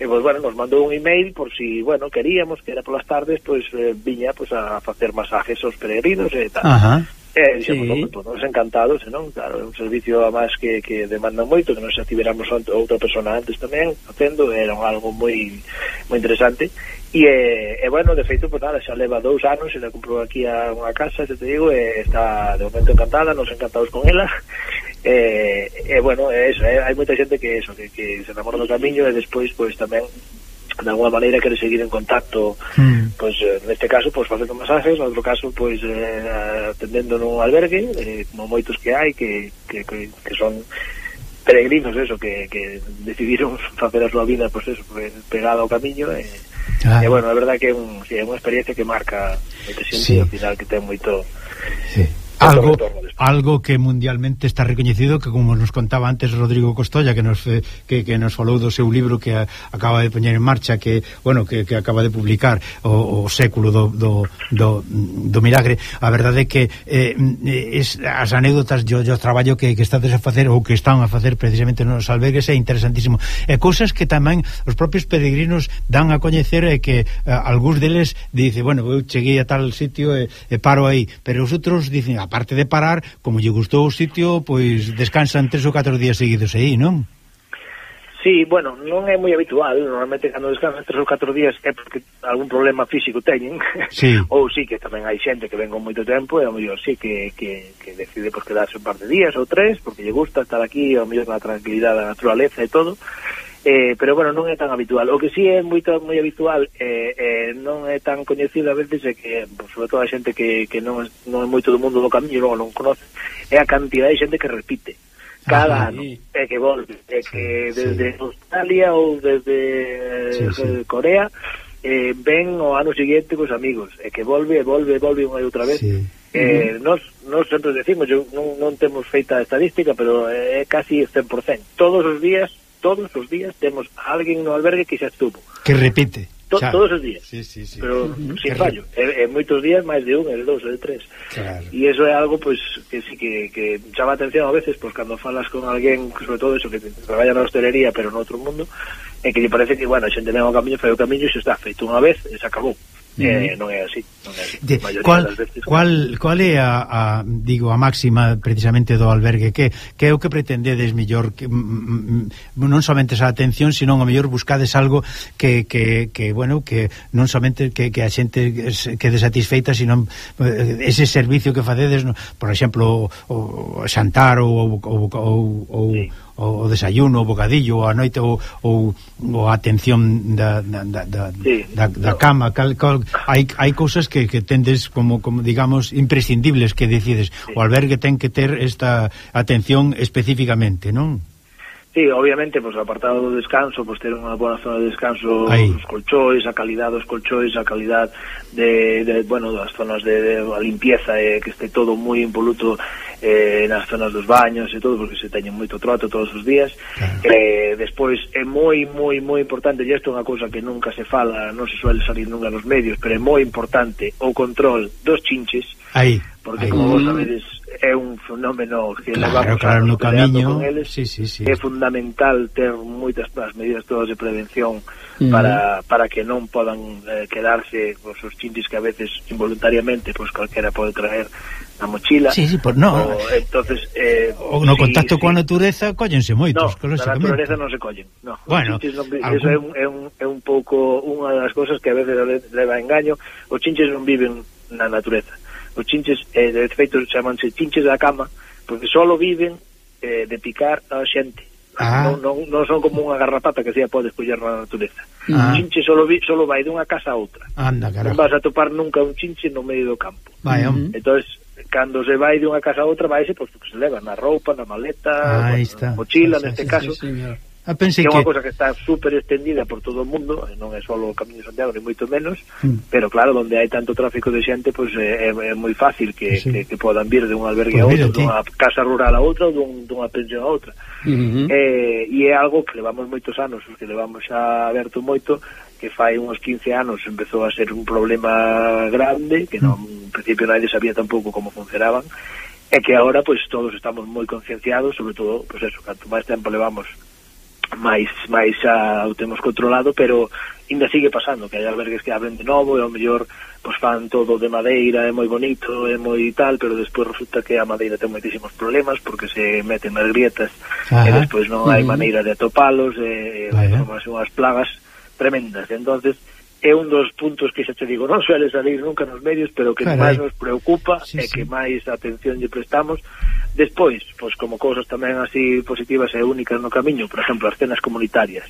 S16: pues bueno, nos mandou un email por si, bueno, queríamos que era polas tardes, pues viña pues a facer masajes aos peregrinos e tal. Dixemos, pues nos encantados, non? Claro, é un servicio a máis que demanda moito, que nos ativeramos outra persona antes tamén facendo, era algo moi interesante. E bueno, de feito, pues nada, xa leva 2 anos e la comprou aquí a unha casa, te digo, está de momento encantada, nos encantados con ela. Bueno, eso, hai moita xente que se enamora do Camiño e despois, pues tamén de alguma maneira quere seguir en contacto, pues neste caso, pues facendo masajes, no outro caso, pues atendendo nun albergue, como moitos que hai que son peregrinos, eso, que decidiron facer a súa vida, pues eso, pegada ao Camiño, e bueno, a verdade que é unha experiencia que marca moita xente, ao final que ten moito algo que mundialmente está recoñecido, que como nos contaba antes Rodrigo Costolla, que nos falou do seu libro que acaba de poñer en marcha, que bueno, que acaba de publicar o século do milagre. A verdade é que as anécdotas do traballo que estades a facer ou que están a facer precisamente nos albergues é interesantísimo, e cousas que tamén os propios peregrinos dan a coñecer, e que algúns deles dice, bueno, eu cheguei a tal sitio e paro aí, pero os outros dicen, aparte de parar, como lle gustou o sitio, pois descansan 3 ou 4 días seguidos aí, non? Sí, bueno, non é moi habitual. Normalmente cando descansan 3 ou 4 días é porque algún problema físico teñen, ou sí que tamén hai xente que ven con moito tempo e ao mellor sí que decide pues quedarse un par de días ou 3 porque lle gusta estar aquí, ao mellor na tranquilidade da naturaleza e todo. Pero bueno, non é tan habitual. O que sí é moi habitual, non é tan coñecido a veces, é que, sobre todo a xente que non é moito do mundo do Camiño, non conoce, é a cantidad de xente que repite cada ano, é que volve, é que desde Australia ou desde Corea ven o ano seguinte cos amigos, é que volve unha e outra vez. Nos sempre decimos, non temos feita a estadística, pero é casi 100%. Todos os días temos alguén no albergue que xa estuvo.
S9: Que repite.
S16: Todos os días. Pero sin fallo. Moitos días máis de 1, de 2, de 3. Claro. E iso é algo pues que sí que chama atención a veces, pues cando falas con alguén, sobre todo eso, que traballa na hostelería pero no outro mundo, é que lle parece que, bueno, a xente ven ao Camiño, fai o Camiño e se está feito unha vez e se acabou. Non é así,
S9: Cual é a máxima precisamente do albergue, que é o que pretendedes mellor, que non somente esa atención, sino a mellor buscades algo que bueno, que non somente que a xente quede satisfeita, sino ese servicio que facedes, por exemplo, o xantar ou o desayuno, o bocadillo, a noite, ou a atención da cama. Hai cousas que tendes como digamos imprescindibles, que decides o albergue ten que ter esta atención especificamente, non?
S16: Sí, obviamente, pues apartado do descanso, pues ter unha boa zona de descanso, os colchóis, a calidad dos colchóis, a calidad bueno, das zonas de limpieza, que este todo moi impoluto nas zonas dos baños e todo, porque se teñen moito trato todos os días. Despois é moi importante, e isto é unha cousa que nunca se fala, non se suele salir nunca nos medios, pero é moi importante o control dos chinches,
S9: Aí.
S16: Porque, como vos sabedes, é un fenómeno que levamos
S9: no camiño
S16: con eles. É fundamental ter moitas as medidas todas de prevención para que non podan quedarse os chinches que a veces involuntariamente calquera pode traer na mochila. Entonces
S9: no contacto coa natureza collense moitos,
S16: na natureza non se collen.
S9: Bueno,
S16: eso é un pouco unha das cousas que a veces leva a engaño. Os chinches non viven na natureza. Os chinches, de feito, chamanse chinches da cama, porque solo viven de picar a xente. Non son como unha garrapata que se pode escoller na natureza. Un chinche solo vai dunha casa a outra.
S9: Anda,
S16: non vas a topar nunca un chinche no medio do campo. Entón, cando se vai dunha casa a outra, vaise, pois, se leva na roupa, na maleta, na mochila, neste caso.
S9: Pensei
S16: que é unha cosa que está super extendida por todo o mundo, non é só o Camiño de Santiago, ni moito menos, pero claro, onde hai tanto tráfico de xente, pois é moi fácil que podan vir de un albergue a outro, dunha casa rural a outra, ou dunha pensión a outra. E é algo que levamos moitos anos, que levamos xa aberto moito, que fai uns 15 anos empezou a ser un problema grande, que non, en principio nadie sabía tampouco como funcionaban, e que agora, pois, todos estamos moi concienciados, sobre todo, pois eso, canto máis tempo levamos máis xa o temos controlado, pero ainda sigue pasando que hai albergues que abren de novo e ao mellor pois fan todo de madeira, é moi bonito, é moi tal, pero despois resulta que a madeira ten moitísimos problemas porque se meten nas grietas e despois non hai maneira de atopalos e son unhas plagas tremendas. Entonces é un dos puntos que xa te digo, non suele salir nunca nos medios, pero que máis nos preocupa e que máis atención lle prestamos. Despois, pois como cousas tamén así positivas e únicas no Camiño, por exemplo, as cenas comunitarias.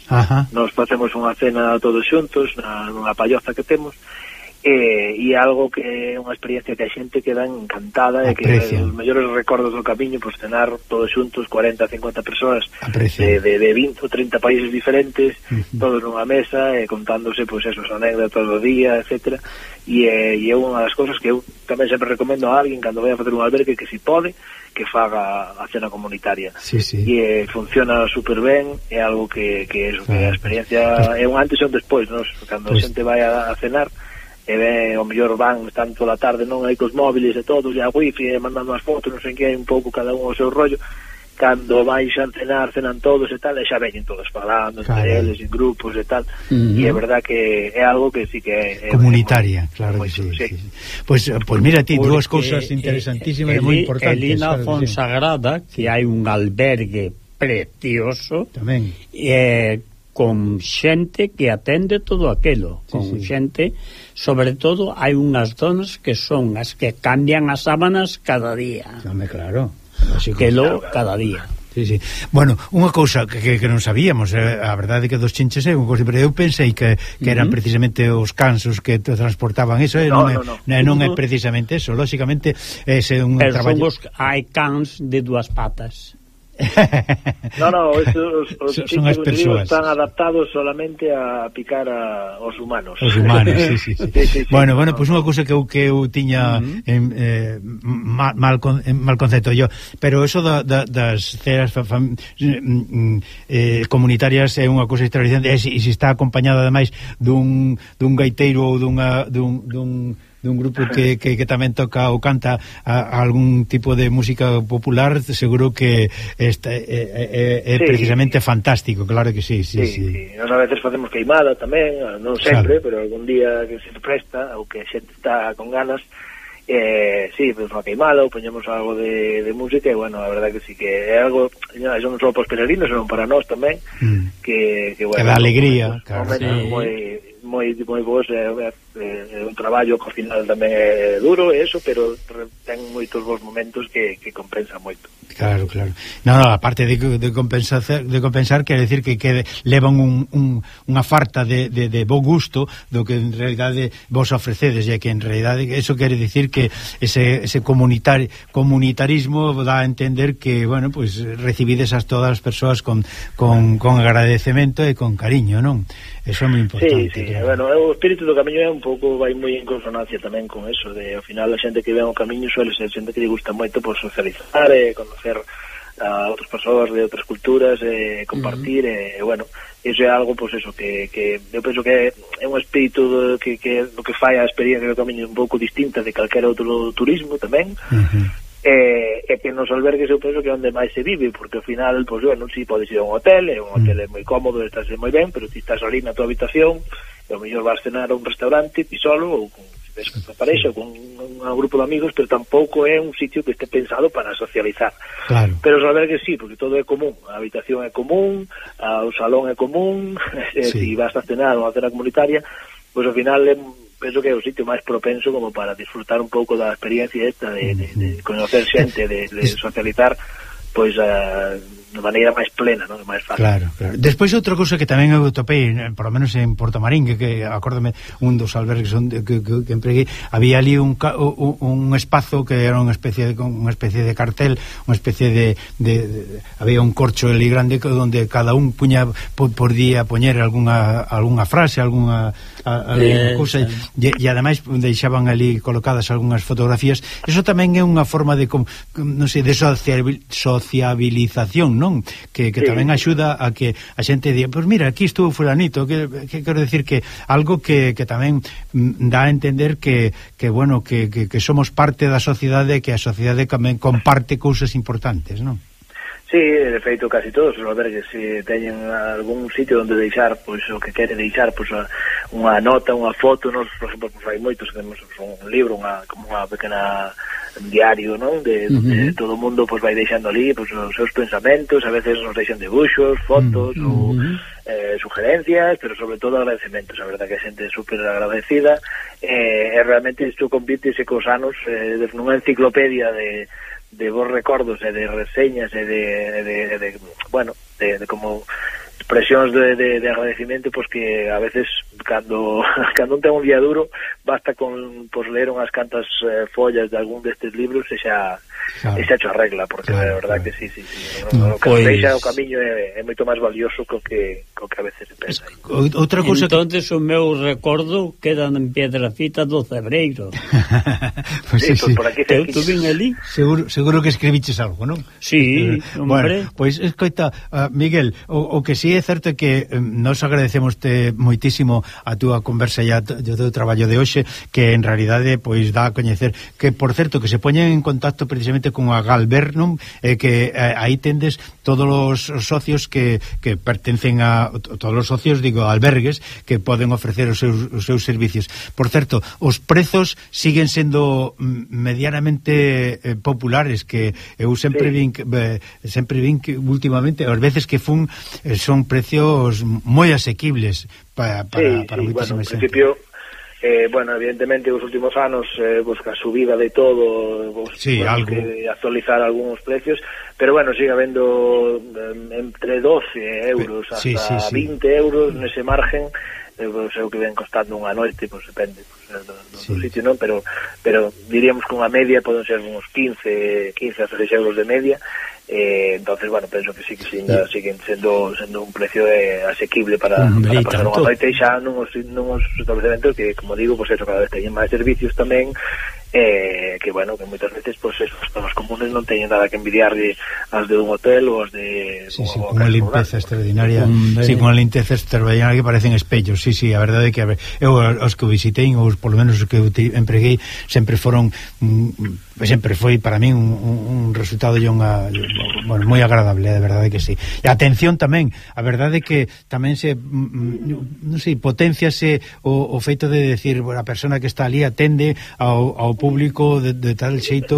S16: Nos facemos unha cena todos xuntos nunha palloza que temos, e algo que é unha experiencia que a xente queda encantada e que os mellores recordos do Camiño, pois cenar todos xuntos, 40, 50 persoas de 20 ou 30 países diferentes, todos nunha mesa e contándose pois esos anécdotas do día, etcétera. E é unha das cousas que eu tamén sempre recomendo a alguén cando vai a facer un albergue que si pode, que faga a cena comunitaria. E funciona super ben, é algo que a experiencia é un antes e un despois, non? Cando a xente vai a cenar e ve, o mellor van están toda a tarde non hai cos móviles e todos, e a wifi e mandando as fotos, non sei que, hai un pouco cada un o seu rollo. Cando vais a cenar, cenan todos e tal, e xa veñen todos falando entre eles, en grupos e tal, e é verdad que é algo que sí que é
S9: comunitaria, claro que sí. Pois mira ti, dúas cousas interesantísimas e moi importantes.
S8: Elina Fonsagrada, que hai un albergue precioso
S9: tamén,
S8: con xente que atende todo aquilo, con xente, sobre todo hai unhas zonas que son as que cambian as sábanas cada día.
S9: Claro.
S8: Cada día.
S9: Bueno, unha cousa que non sabíamos, a verdade que dos chinches é unha cousa, pero eu pensei que eran precisamente os cansos que transportaban eso, non é precisamente eso, lógicamente é un traballo.
S8: Hai cans de dúas patas.
S16: Os chinches están adaptados solamente a picar aos humanos.
S9: Os humanos, sí. Bueno, pois unha cousa que eu tiña mal concepto yo, pero eso das ceras comunitarias é unha cousa extraordinaria, e se está acompañada ademais dun gaiteiro ou dun grupo que tamén toca ou canta algún tipo de música popular, seguro que é precisamente fantástico, claro que sí.
S16: Nós a veces facemos queimada tamén, non sempre, pero algún día que se presta ou que a xente está con ganas, pues unha queimada ou poñemos algo de música, e bueno, a verdade que sí que é algo, non só para os peregrinos, senón para nós tamén, que bueno,
S9: da alegría,
S16: claro, moi vos, un traballo que ao final tamén é duro eso, pero ten moitos bons momentos que compensa moito.
S9: Claro. Aparte de compensar, quere decir que levan unha farta de bo gusto do que en realidade vos ofrecedes, e que en realidade eso quere decir que ese comunitarismo dá a entender que, bueno, pues recibides a todas as persoas con agradecemento e con cariño, non? Eso é moi importante.
S16: Sí. Bueno, o espírito do Camiño é un pouco, vai moi en consonancia tamén con eso, de ao final a xente que ven o Camiño suele ser xente que lle gusta moito por socializar e conocer a outras persoas de outras culturas, compartir, e bueno, Eso é algo, pois eso, que eu penso que é un espírito que do que fai a experiencia do Camiño un pouco distinta de calquera outro turismo tamén. E que nos albergues eu penso que é onde máis se vive, porque ao final, pois bueno, si podes ir a un hotel é moi cómodo, estás moi ben, pero ti estás ali na tua habitación e ao mellor vas cenar a un restaurante ti solo, ou con a parexa, con un grupo de amigos, pero tampouco é un sitio que este pensado para socializar.
S9: Claro.
S16: Pero os albergues sí, porque todo é común, a habitación é común, o salón é común, si vas a cenar unha cena comunitaria, pois ao final penso que é o sitio máis propenso como para disfrutar un pouco da experiencia esta de conocer xente, de socializar, pois de maneira máis plena, non? Máis fácil.
S9: Claro. Despois outra cousa que tamén eu topei, por lo menos en Portomarín, que acórdame un dos albergues que empreguei, había ali un espazo que era unha especie de cartel, unha especie de había un corcho ali grande onde cada un podía poñer algunha frase, alguna cousa, e ademais deixaban ali colocadas algunhas fotografías. Eso tamén é unha forma de non sei, de sociabilización, non? Que tamén axuda a que a xente diga, pois mira, aquí estuvo fulanito, que quero decir que algo que tamén dá a entender que bueno, que somos parte da sociedade, que a sociedade tamén comparte cousas importantes, non?
S16: Sí, de feito casi todos os albergues teñen algún sitio onde deixar pois o que quere deixar, pois unha nota, unha foto. Nos, por exemplo, hai moitos que temos un libro, como unha pequena diario, non? De todo o mundo pois vai deixando ali pois os seus pensamentos, a veces nos deixan debuxos, fotos ou sugerencias, pero sobre todo agradecementos. A verdade que a xente é super agradecida, e realmente isto convírtese cos anos nunha enciclopedia de vos recordos e de reseñas e de como expresións de agradecimiento, pois que a veces cando un ten un día duro basta con leer unhas cantas follas de algún destes libros e xa cho arregla, porque a verdade que sí. O que nos deixa o camiño é moito máis valioso co que a veces se pensa.
S9: Outra cousa
S8: entonces o meu recordo quedan en Piedrafita do Cebreiro.
S9: Pues sí.
S16: Por aquí
S8: eu tuve ali.
S9: Seguro que escribiches algo, non?
S8: Sí, hombre.
S9: Bueno, pois escoita, Miguel, o que sí é certo é que nos agradecemos-te moitísimo a túa conversa e o teu traballo de hoxe, que en realidade pois dá a coñecer que, por certo, que se poñen en contacto precisamente con a Galver, non? Que aí tendes todos os socios que pertencen a todos os socios, digo, albergues que poden ofrecer os seus servicios. Por certo, os prezos siguen sendo medianamente populares, que eu sempre vin que últimamente, ás veces que son precios moi asequibles para moitísima xente.
S16: Principio evidentemente os últimos anos busca a subida de todo, algo que actualizar algúns precios, pero sigue habendo entre 12 euros hasta 20 euros nese margen, o que ven costando unha noite, depende do sitio, non? Pero diríamos que unha media poden ser uns 15 a 16 euros de media. Entonces, penso que sí que siguen sendo un precio asequible para pasar unha noite xa nuns establecementos que, como digo, cada vez teñen máis servicios tamén, que moitas veces as zonas comunes non teñen nada que envidiarle as de un hotel ou as de
S9: con unha limpeza extraordinaria, con unha limpeza extraordinaria que parecen espellos. A verdade é que eu os que visitei, ou por lo menos os que empreguei, sempre foi para mí un resultado moi agradable, de verdade que sí. E a atención tamén, a verdade é que tamén se potenciase o feito de decir, a persona que está ali atende ao público de tal xeito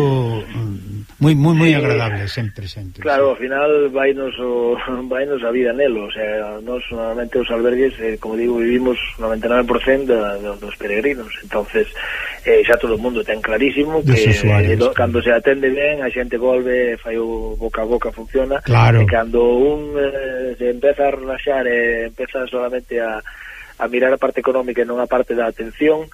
S9: moi agradable, sempre.
S16: Claro, ao final vainos a vida nelo, nos normalmente os albergues, como digo, vivimos 99% dos peregrinos, entonces xa todo o mundo ten clarísimo que cando se atende ben, a xente volve, fai o boca a boca, funciona, e cando se empeza a relaxar e empeza solamente a mirar a parte económica e non a parte da atención,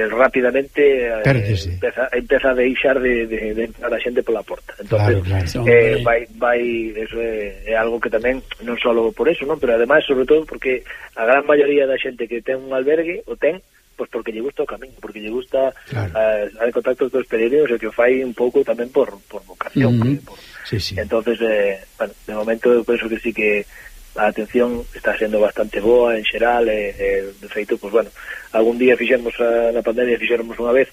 S16: rapidamente empeza a deixar de entrar a xente pola porta. Entonces eso é algo que tamén non só por eso, non, pero ademais sobre todo porque a gran maioría da xente que ten un albergue o ten pois porque lle gusta o camiño, porque lle gusta a contacto dos peregrinos, e que o fai un pouco tamén por vocación. Entonces, de momento eu penso que sí que a atención está sendo bastante boa en xeral, de feito, pues bueno, algún día fixemos na pandemia, fixéramos unha vez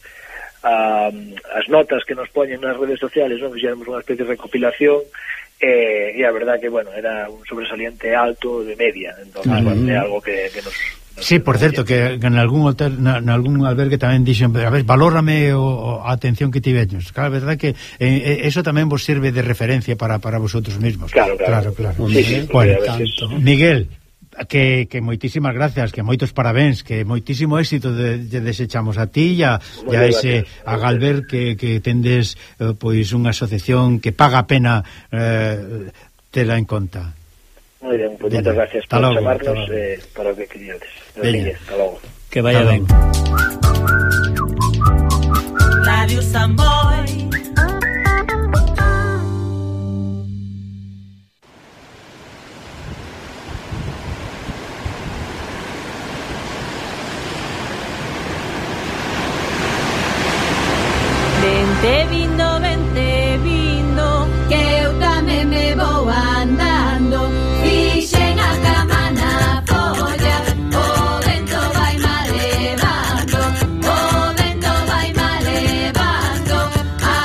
S16: as notas que nos poñen nas redes sociales, non? Fixéramos unha especie de recopilación, e a verdad que, bueno, era un sobresaliente alto de media, entón, bueno, é algo que nos...
S9: Sí, por certo, que en algún hotel, en algún albergue tamén dixen, a ver, valórame a atención que tiveños. Claro, a verdade que eso tamén vos sirve de referencia para vosotros mismos.
S16: Claro.
S9: Sí, bueno, Miguel, que moitísimas gracias, que moitos parabéns, que moitísimo éxito de desechamos a ti e a ese a Galver que tendes pois unha asociación que paga a pena tela en conta.
S16: Moi ben, pues moitas gracias por chamarnos para o que queríades. Hasta logo.
S8: Que vaya ben.
S4: Radio Samboy.
S14: Vente vindo, que eu tamén me vou andando. Fixen a cama na folla, o vento vai má levando, o vento vai má levando. A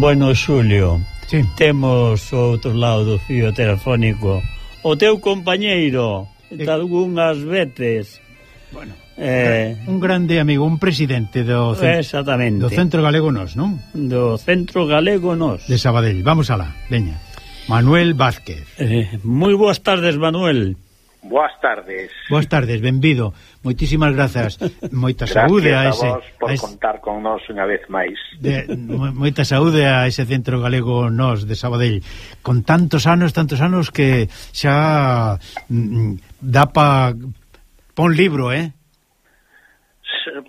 S8: Bueno, Xulio, temos ao outro lado do fío telefónico o teu compañeiro de algunhas veces.
S9: Bueno, un grande amigo, un presidente do Centro Galego Nos, non?
S8: Do Centro Galego Nos
S9: de Sabadell. Vamos alá, veña. Manuel Vázquez.
S8: Moi boas tardes, Manuel.
S17: Boas tardes.
S9: Boas tardes, benvido. Moitísimas grazas. Moita saúde a ese...
S17: Gracias a vos por contar con nós unha vez máis.
S9: Moita saúde a ese Centro Galego Nos de Sabadell. Con tantos anos que xa dá pa un libro,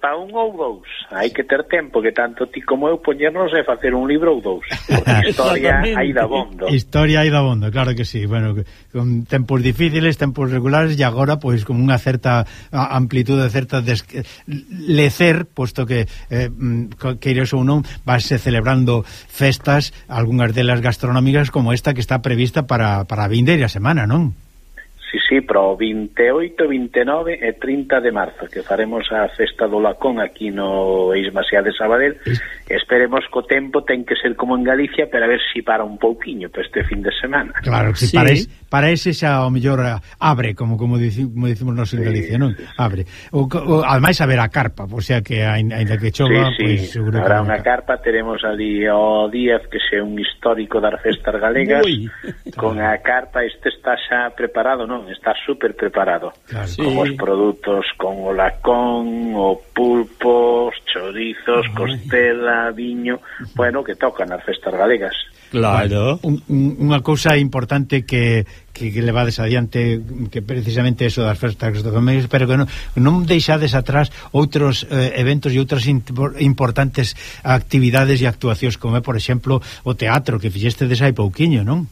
S17: Para un ou dous. Hai que ter tempo, que tanto ti como eu poñernos e facer un libro ou dous. Porque historia hai dabondo.
S9: Historia hai dabondo, claro que sí. Bueno, con tempos difíciles, tempos regulares, e agora, pois, con unha certa amplitude, certa lecer, posto que queiras ou non, vanse celebrando festas, algunhas delas gastronómicas, como esta que está prevista para a vindeira semana, non?
S17: Sí, pero 28, 29 e 30 de marzo que faremos a festa do Lacón aquí no Eismasía de Sabadell. Esperemos que o tempo ten que ser como en Galicia, para ver si para un pouquiño para este fin de semana.
S9: Claro, que sí. Para ese xa o mellor abre, como dicimos nós en Galicia, non? Abre. Ademais haber a carpa, o sea que ainda que chova, pois seguro
S17: habrá unha carpa. Teremos ali o Díaz, que é un histórico das festas galegas. Con a carpa. Este está xa preparado, non? Está super preparado, claro, con os produtos, con o lacón, o pulpo, os chorizos, costela, viño, bueno, que tocan as festas galegas.
S8: Claro.
S9: Unha cousa importante que levades adiante, que precisamente eso das festas gastronómicas, pero que non deixades atrás outros eventos e outras importantes actividades e actuacións, como é, por exemplo, o teatro que fixestedes hai pouquiño, non?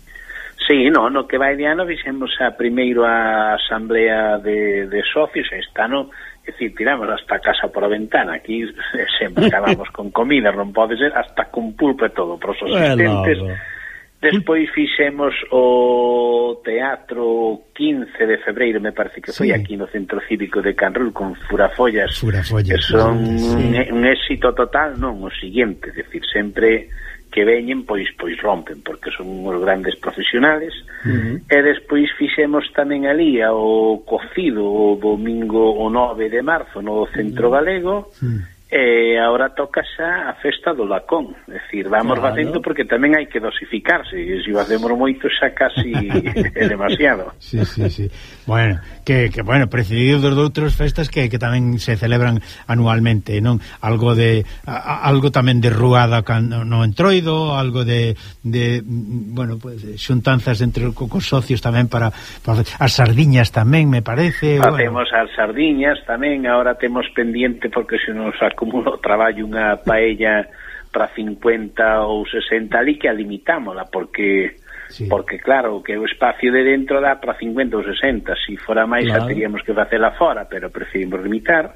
S17: Sí, no que vai de ano fixemos primeiro a asamblea de socios, esta ano, é dicir, tiramos hasta casa por a ventana, aquí sempre acabamos con comida, non pode ser, hasta con pulpo e todo, para os asistentes. Despois fixemos o teatro 15 de febreiro, me parece que foi aquí no Centro Cívico de Canrul, con Furafollas, que son un éxito total, non, o siguiente, é dicir, sempre que veñen, pois rompen, porque son uns grandes profesionales. E despois fixemos tamén ali o cocido o domingo o 9 de marzo no Centro Galego, e agora toca xa a festa do Lacón, é dicir, vamos facendo, porque tamén hai que dosificarse, e se o hacemos moito xa casi é demasiado.
S9: Sí. Bueno, que precedido de outras festas que tamén se celebran anualmente, non? Algo tamén de ruada no Entroido, algo de bueno, pues xuntanzas entre cos socios tamén para as sardiñas tamén, me parece.
S17: Facemos as sardiñas tamén, agora temos pendiente, porque se nos acumula o traballo, unha paella para 50 ou 60 ali, que a limitámola, porque claro, que o espacio de dentro dá para 50 ou 60, se fora máis xa teríamos que facela fora, pero preferimos limitar.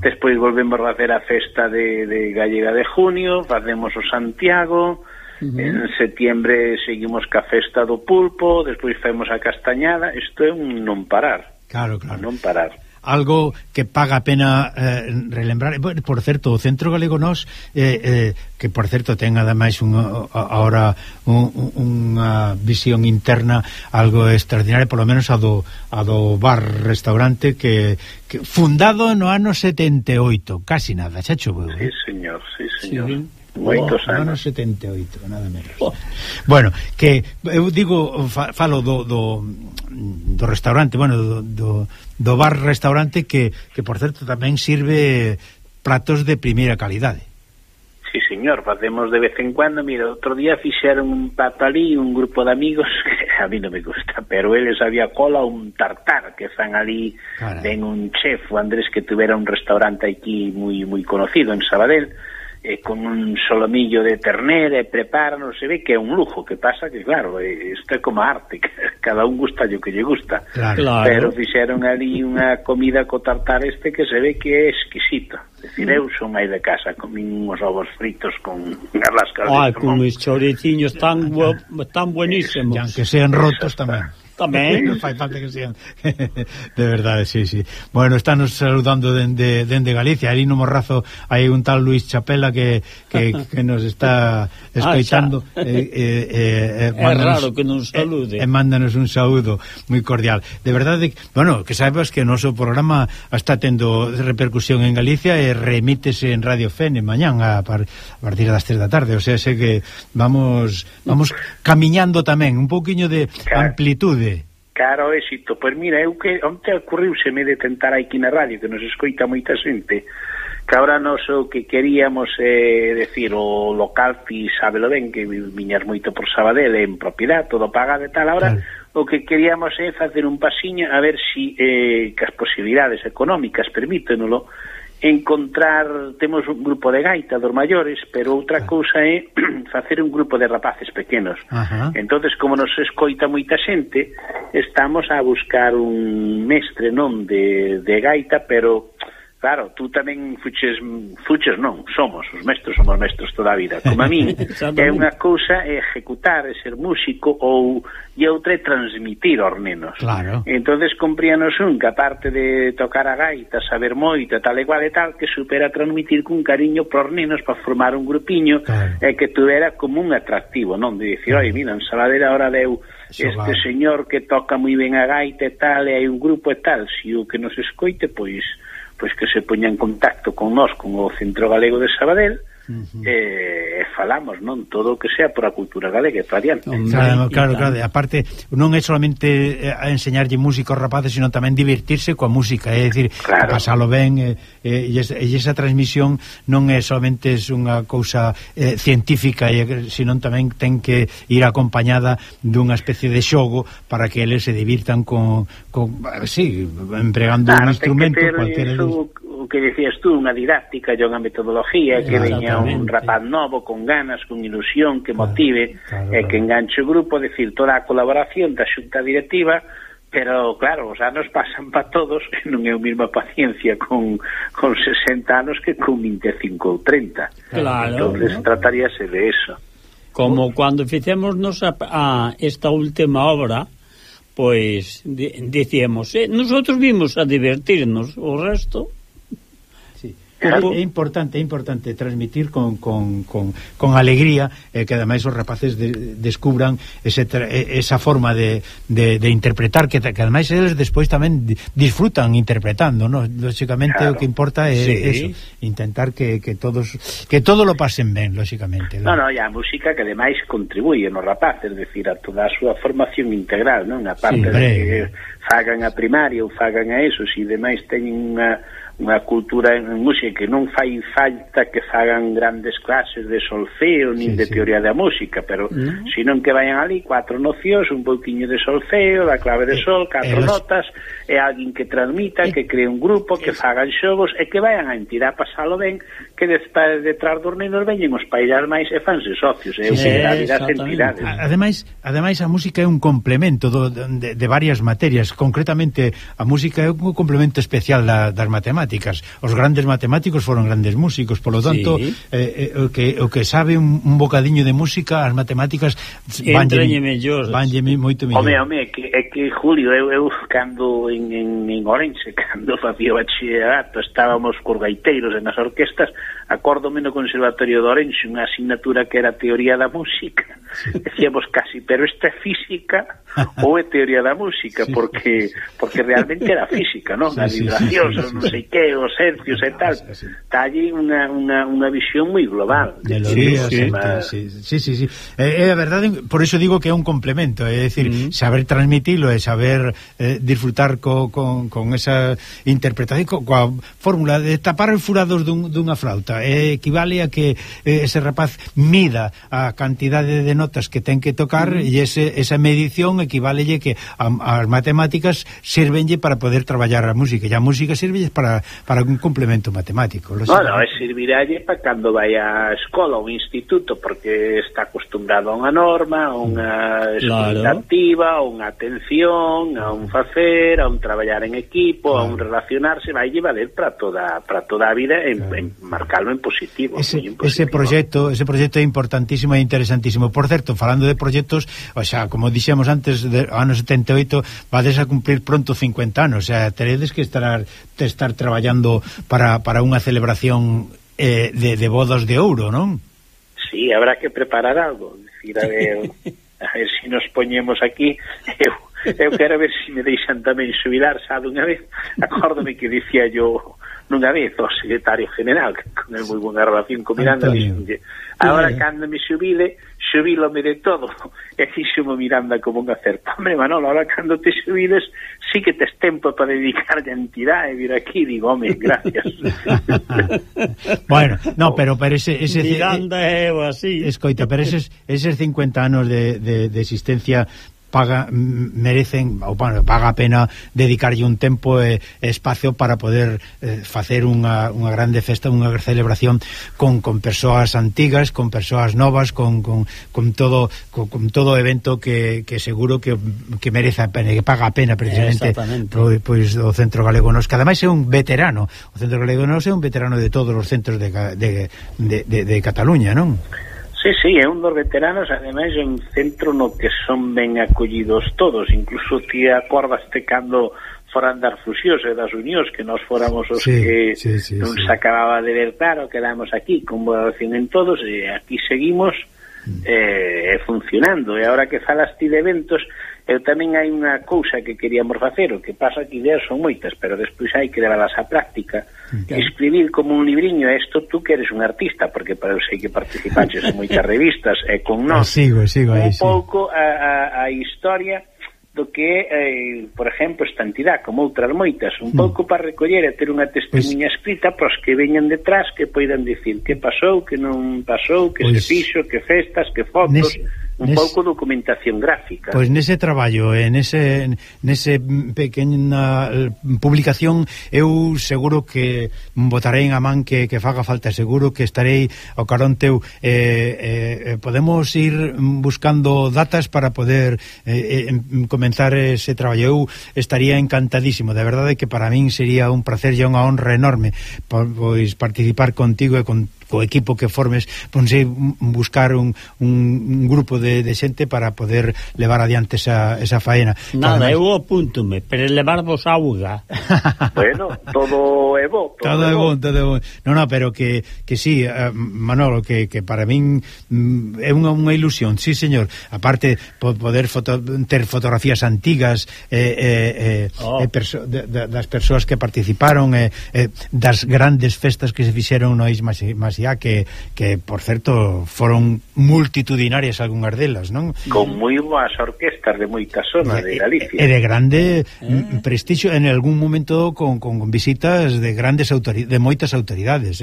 S17: Despois volvemos a facer a festa de Gallega de junio, facemos o Santiago, en setiembre seguimos ca festa do pulpo, despois facemos a castañada. Isto é un non parar.
S9: Claro.
S17: Non parar.
S9: Algo que paga a pena relembrar. Por certo, o Centro Galego Nos, que por certo ten ademais ahora unha visión interna algo extraordinaria, por lo menos a do bar-restaurante que fundado no ano 78, casi nada, xa choveu.
S17: Sí, señor. Moitos anos.
S9: 78, nada menos. Bueno, que eu digo, falo do restaurante, bueno, do bar-restaurante que por certo tamén sirve pratos de primeira calidade.
S17: Sí, señor, facemos de vez en cuando. Mira, outro día fixeron un plato ali, un grupo de amigos, que a mí non me gusta, pero eles había cola un tartar que fan ali. Ven un chef, o Andrés, que tuvera un restaurante aquí moi conocido en Sabadell, con un solomillo de ternera, e preparan, se ve que é un lujo. Que pasa que, claro, isto é como arte, cada un gusta o que lle gusta, pero fixeron ali unha comida co tartar que se ve que é exquisito. É dicir, eu son aí de casa, comín uns ovos fritos con lascas de
S8: con os choriciños tan buenísimos,
S9: e aunque sean rotos tamén.
S8: Tamén.
S9: Non fai falta que sean. De verdade, sí. Bueno, estános saludando dende Galicia. Ali no Morrazo hai un tal Luis Chapela que nos está escoitando.
S8: É raro que non salude.
S9: E mándanos un saúdo moi cordial. De verdade, bueno, que saibas que o noso programa está tendo repercusión en Galicia e remítese en Radio Fene mañán a partir das 3 da tarde. O sea, sé que vamos camiñando tamén un pouquiño de amplitude.
S17: Claro, éxito. Pois mira, eu que onte ocurriuseme de tentar aquí na radio, que nos escoita moita xente, que agora nos o que queríamos decir, o local ti sábelo ben, que viñas moito por Sabadell en propiedade, todo pagado e tal, ahora o que queríamos é facer un pasiño a ver si que as posibilidades económicas permítenolo encontrar, temos un grupo de gaita dos maiores, pero outra cousa é facer un grupo de rapaces pequenos. Entonces, como nos escoita moita xente, estamos a buscar un mestre non de gaita, pero claro, tú tamén fuches non, somos mestres toda a vida, como a mí. É unha cousa é ejecutar, é ser músico, e outra é transmitir aos nenos.
S9: Claro.
S17: Entonces compríanos que aparte de tocar a gaita, saber moito, tal e cual e tal, que supera transmitir con cariño pros nenos para formar un grupiño, e que tuvera como un atractivo, non? De dicir, oi, mira, en Saladera ahora deu este señor que toca moi ben a gaita e tal, e hai un grupo e tal, se o que nos escoite, pois que se poña en contacto con nós, con o Centro Galego de Sabadell, e falamos, non? Todo o que sea por a cultura galega, variante.
S9: Claro, aparte, non é solamente a enseñarlle música aos rapaces, sino tamén divertirse coa música, é dicir, pasalo ben, e esa transmisión non é solamente unha cousa científica, sino tamén ten que ir acompañada dunha especie de xogo para que eles se divirtan empregando un instrumento cualquiera.
S17: O que decías tú, unha didáctica e unha metodoloxía, que veña un rapaz novo con ganas, con ilusión, que motive e que enganche o grupo, decir, toda a colaboración da xunta directiva, pero claro, os anos pasan para todos e non é a mesma paciencia con 60 anos que con 25 ou 30.
S8: Claro.
S17: Entonces trataríase de eso.
S8: Como cando fixémonos a esta última obra, pois dicíamos, nosotros vimos a divertirnos, o resto...
S9: É importante transmitir con alegría, que ademais os rapaces descubran esa forma de interpretar, que ademais eles despois tamén disfrutan interpretando, ¿no? Lógicamente o que importa é eso, intentar que todo lo pasen ben, lógicamente.
S17: No, e a música que ademais contribuye nos rapaces, es decir, a toda a súa formación integral, non? A parte de que fagan a primaria ou fagan a eso, se demais teñen unha cultura en música, que non fai falta que fagan grandes clases de solfeo nin de teoría da música, pero senón que vayan ali 4 nocións, un pouquiño de solfeo, da clave de sol, 4 notas, e alguén que transmita, que cree un grupo, que fagan xogos e que vayan a entidade a pasalo ben, que detrás dos nenos veñen os pairas máis e fanse socios, e o que dá vida ás entidades.
S9: Ademais a música é un complemento de varias materias, concretamente a música é un complemento especial das matemáticas. Os grandes matemáticos foron grandes músicos, polo tanto o que sabe un bocadiño de música, as matemáticas vanlle moito mellor.
S17: Home, é que Julio, eu cando en Orense, cando facía bachillerato, estábamos cos gaiteiros en as orquestas, acórdome no Conservatorio de Orense unha asignatura que era teoría da música, decíamos casi, pero esta é física ou é teoría da música, porque realmente era física, non? A vibración, non sei que, os hercios e tal, está allí unha visión moi global.
S9: Sí. É a verdade, por iso digo que é un complemento, é dicir, saber transmitilo e saber disfrutar con esa interpretación, coa fórmula de tapar os furados dunha flauta, equivale a que ese rapaz mida a cantidade de notas que ten que tocar, e esa medición equiválelle que as matemáticas sirvenlle para poder traballar a música, e a música sirvelle para un complemento matemático.
S17: Bueno, serviralle para cando vai a escola ou instituto, porque está acostumbrado a unha norma, a unha expectativa, a unha atención, a un facer, a un traballar en equipo, a un relacionarse, vai valer para toda a vida en calo en positivo.
S9: Ese proxecto é importantísimo e interesantísimo. Por certo, falando de proxectos, o sea, como dixemos antes, de ano 78 vades a cumplir pronto 50 anos, o sea, teredes que estar traballando para unha celebración de bodas de ouro, non?
S17: Sí, habrá que preparar algo, decir, a ver si nos poñemos aquí. Eu quero ver se me deixan tamén xubilar, sabe, unha vez acórdome que dicía yo nunha vez o secretario general, que con el moi buena relación con Miranda, dixenlle, agora cando me xubilome de todo. E fixo-me Miranda como un acerto. Hombre, Manolo, ahora cando te xubiles sí que tes tempo para dedicarlle a entidade e vir aquí. Digo, home, gracias.
S9: Bueno, no, pero ese
S8: Miranda é o así.
S9: Escoita, pero eses 50 anos de existencia merecen, ou bueno, paga a pena dedicarlle un tempo e espacio para poder facer unha grande festa, unha celebración con persoas antigas, con persoas novas, con todo evento que seguro que merece a pena, que paga a pena precisamente pois o Centro Galego Nos, que ademais é un veterano, o Centro Galego Nos é un veterano de todos os centros de Cataluña, non?
S17: Sí, é un dos veteranos, ademais é un centro no que son ben acollidos todos, incluso ti acordaste cando foran das fusións e das unións, que nós fóramos os que non se acababa de ver claro, quedamos aquí con boa relación en todos, e aquí seguimos funcionando. E agora que falas ti de eventos, eu tamén hai unha cousa que queríamos facer, o que pasa que ideas son moitas, pero despois hai que levalas á práctica. Escribir como un libriño, isto tú que eres un artista, porque eu sei que participaches en moitas revistas e con nós
S9: sigo aí,
S17: un pouco a historia do que é, por exemplo, esta entidade, como outras moitas, un pouco para recoller e ter unha testemunha escrita para os que veñan detrás, que poidan dicir que pasou, que non pasou, que se fixo, que festas, que fotos, un pouco documentación gráfica.
S9: Pois nese traballo, nese pequena publicación, eu seguro que botarei en a man que faga falta, seguro que estarei ao carón teu. Podemos ir buscando datas para poder comenzar ese traballo. Eu estaría encantadísimo, de verdade que para min sería un placer e unha honra enorme pois participar contigo e con o equipo que formes, ponse buscar un grupo de xente para poder levar adiante esa faena.
S8: Nada, eu apúntome, pero levarvos auga.
S17: Bueno, todo é bo.
S9: Todo é bo. No, pero que sí, Manolo, que para min é unha ilusión, sí, señor. Aparte, poder ter fotografías antigas das persoas que participaron, das grandes festas que se fixeron no Isma Masía, que por certo foron multitudinarias algunhas delas, non?
S17: Con moi boas orquestas de moitas zonas de Galicia.
S9: E de grande prestixio, en algún momento con visitas de moitas autoridades,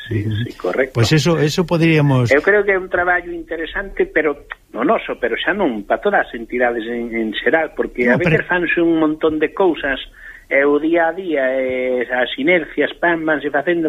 S17: Sí, correcto.
S9: Pois eso poderíamos...
S17: Eu creo que é un traballo interesante, pero no noso, pero xa non para todas as entidades en xeral, porque a veces fanse un montón de cousas e o día a día, as inercias vanse facendo,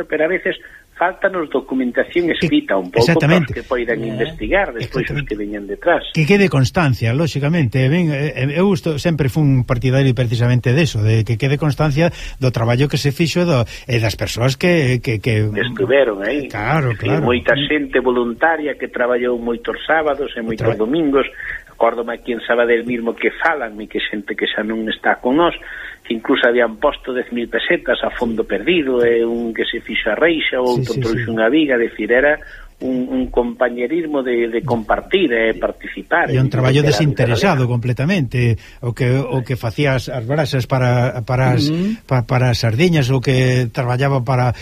S17: pero a veces faltanos documentación escrita un pouco para os que poidan investigar despois os que veñan detrás.
S9: Que quede constancia, lóxicamente. Eu sempre fun partidario precisamente deso, de que quede constancia do traballo que se fixo e das persoas que
S17: estuveron aí.
S9: Claro.
S17: Moita xente voluntaria que traballou moitos sábados e moitos domingos. Acórdome aquí en Sabadell mismo que falan e que xente que xa non está con nós, que incluso habían posto 10.000 pesetas a fondo perdido, e un que se fixo a reixa, ou outro trouxe unha viga, decir, era un compañerismo de compartir e participar.
S9: E un traballo desinteresado completamente, o que facía as brasas para as sardiñas, o que traballaba para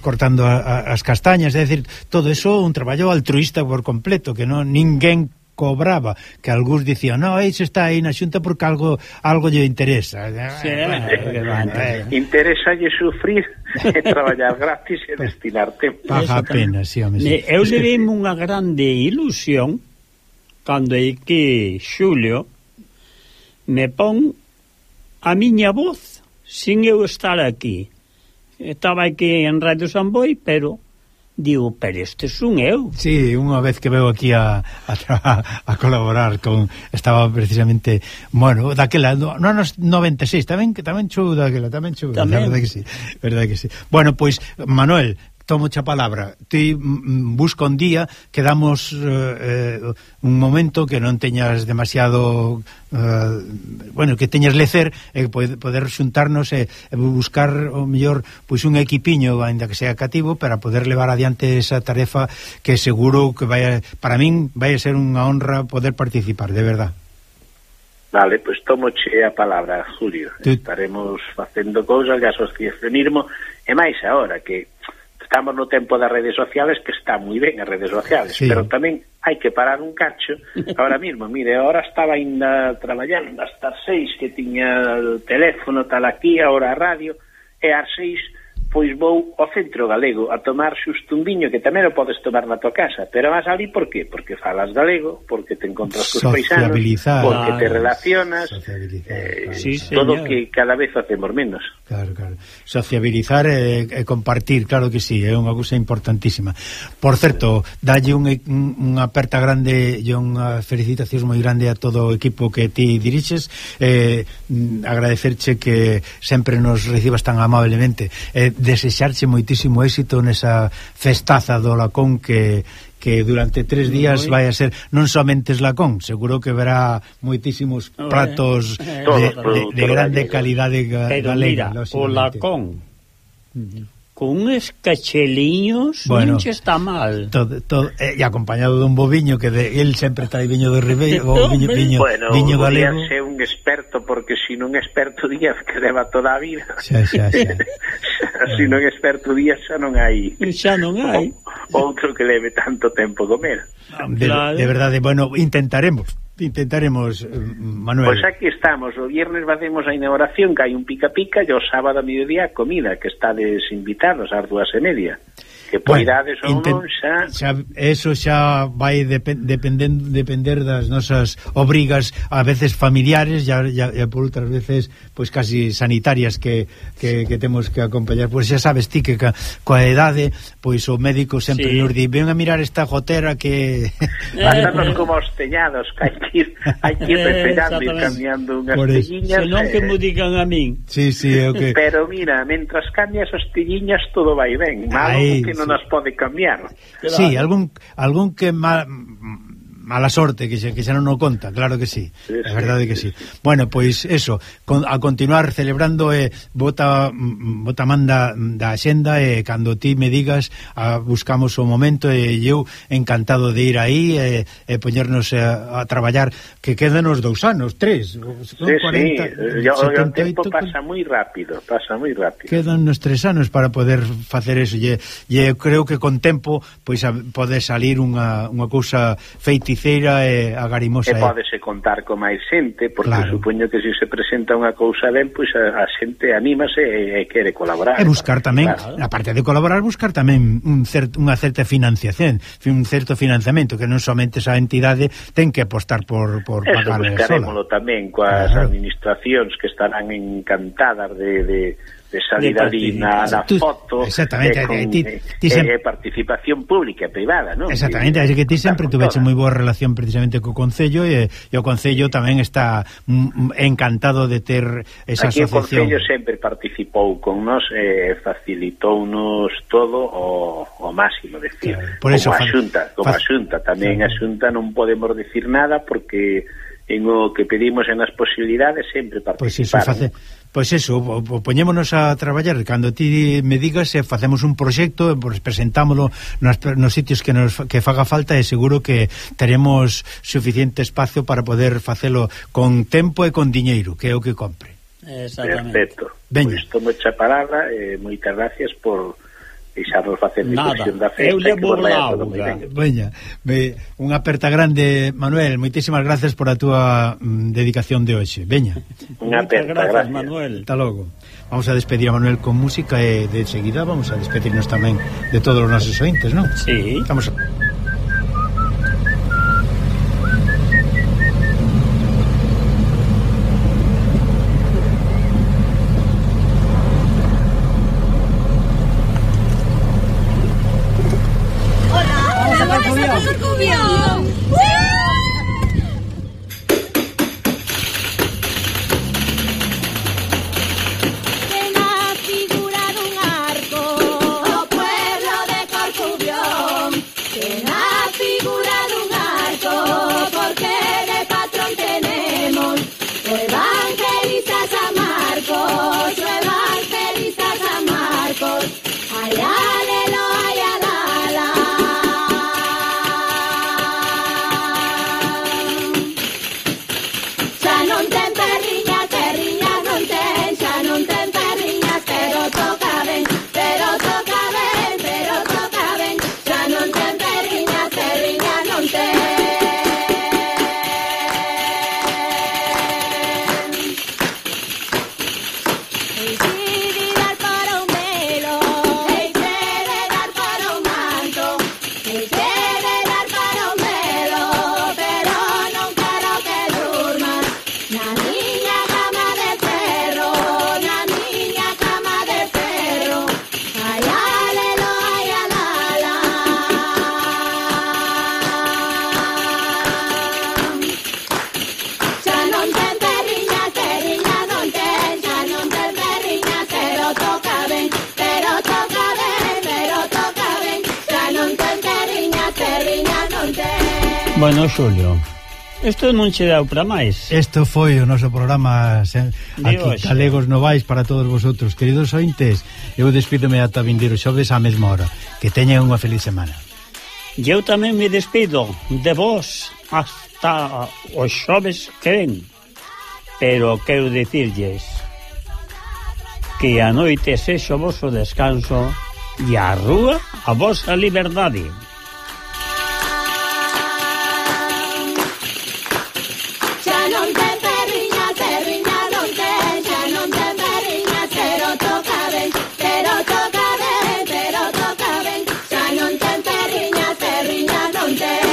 S9: cortando as castañas, é dicir, todo eso un traballo altruista por completo, que non ninguén cobraba, que algúns dicían, no, se está aí na xunta porque algo lle interesa.
S17: Interesa lle sufrir e traballar gratis e destinar tempo.
S9: Paga a pena, sí, home.
S8: Eu levei unha grande ilusión cando é que Xulio me pon a miña voz sin eu estar aquí. Estaba aquí en Radio Samboy, pero digo, pero este son eu.
S9: Sí, unha vez que veo aquí a colaborar con, estaba precisamente, bueno, daquela, no anos 96, tamén chou daquela, verdade que sí. Bueno, pois, Manuel, tomo a palabra. Ti busca un día que damos un momento que non teñas demasiado que teñas lecer e poder xuntarnos e buscar o mellor pois un equipiño, ainda que sea cativo, para poder levar adiante esa tarefa que seguro que para min vai a ser unha honra poder participar, de verdad.
S17: Vale, pois tomoche a palabra, Julio. Estaremos facendo cousas de asociacionismo e máis agora que estamos no tempo das redes sociales, que está moi ben as redes sociales, sí. Pero tamén hai que parar un cacho. Ahora mismo, mire, ahora estaba ainda traballando hasta as 6 que tiña o teléfono tal aquí, ahora a radio, e ás 6 pois vou ao Centro Galego a tomar xusto un viño, que tamén o podes tomar na tua casa, pero vas ali por qué? Porque falas galego, porque te encontras cos paisanos, porque te relacionas, todo que cada vez facemos menos.
S9: Claro. Sociabilizar e compartir, claro que sí, é unha cousa importantísima. Por certo, dalle unha aperta grande e unha felicitación moi grande a todo o equipo que ti dirixes, agradecerche que sempre nos recibas tan amablemente, desexarche moitísimo éxito nesa festaza do Lacón que durante 3 días vai a ser non somente Lacón, seguro que verá moitísimos pratos de grande calidade galega.
S8: Pero mira, o Lacón con uns cacheliños non che está mal.
S9: E acompañado dun boviño que el sempre trae viño de Ribeiro, viño galego.
S17: Díaz é un experto, porque se non é experto Díaz, que leva toda a vida.
S9: Xa.
S17: Se non é experto Díaz, xa non hai outro que leve tanto tempo comer.
S9: De verdade, bueno, intentaremos, Manuel.
S17: Pois aquí estamos, o viernes facemos a inauguración, que hai un pica-pica, e o sábado a mediodía comida, que estades invitados ás 2:30. Que poidades ou non
S9: eso xa vai depender das nosas obrigas, a veces familiares e por outras veces pois casi sanitarias que temos que acompañar. Pois xa sabes ti que coa edade pois o médico sempre nos di, ven a mirar esta gotera que
S17: andarnos como os teñados, que hai que ir referando e cambiando unhas telliñas,
S8: senón que me digan a min.
S9: Sí, okay.
S17: Pero mira, mentras cambias as telliñas todo vai ben, malo que non as pode cambiar.
S9: Sí, algún que mala sorte que xa non o conta, claro que sí, é verdade que sí. Bueno, pois eso, a continuar celebrando, bota manda da axenda, e cando ti me digas buscamos o momento, e eu encantado de ir aí e poñernos a traballar, que quedan os 2 anos, 3
S17: o tempo pasa moi rápido.
S9: Quedan os 3 anos para poder facer eso, e eu creo que con tempo pois pode salir unha cousa feiticeira e agarimosa.
S17: E pódese contar con máis xente, porque supoño que se presenta unha cousa ben, pois a xente anímase e quere colaborar.
S9: E buscar tamén, aparte de colaborar, buscar tamén unha certa financiación, un certo financiamento, que non somente esa entidade ten que apostar por pagar sola.
S17: Buscarémolo tamén coas administracións, que estarán encantadas de salir ali na foto, e participación pública e privada, non?
S9: Exactamente, así que ti sempre tuveche moi boa relación precisamente co Concello, e o Concello tamén está encantado de ter esa asociación.
S17: Aquí o Concello sempre participou con nós e facilitounos todo o máximo, decir, como a Xunta tamén a Xunta non podemos decir nada, porque en o que pedimos en as posibilidades sempre participaron.
S9: Pois eso, poñémonos a traballar cando ti me digas, facemos un proxecto, presentámoslo nos sitios que faga falta, e seguro que teremos suficiente espacio para poder facelo con tempo e con diñeiro, que é o que compre.
S17: Perfecto. Pois tomo a palabra, moitas gracias por deixarnos facer difusión da festa.
S8: Eu levo la auga.
S9: Veña, unha aperta grande, Manuel, moitísimas gracias por a túa dedicación de hoxe. Veña.
S17: Unha aperta, gracias,
S8: Manuel.
S9: Hasta logo. Vamos a despedir a Manuel con música, e de seguida vamos a despedirnos tamén de todos os nosos ointes, non?
S8: Sí.
S9: Vamos a...
S14: La niña cama de perro, la niña cama de perro. Ay, alelo, ay, alala. Ya non ten terriña, terriña non ten. Ya non ten terriña, pero toca ben, pero toca ben, pero toca ben. Ya non ten terriña, terriña non ten.
S8: Bueno, Xulio, isto non che deu para máis.
S9: Isto foi o noso programa aquí, Galegos Novais, para todos vosotros. Queridos ointes, eu despídome ata vindeiro xoves á mesma hora. Que teñan unha feliz semana.
S8: E eu tamén me despido de vos hasta os xoves que ven. Pero quero dicirlles que a noite sexo o voso descanso e a rúa a vosa liberdade.
S14: Ya non ten terriña, terriña non ten. Ya non ten terriña, pero toca ben, pero toca ben, pero toca ben. Ya non ten terriña, terriña non ten.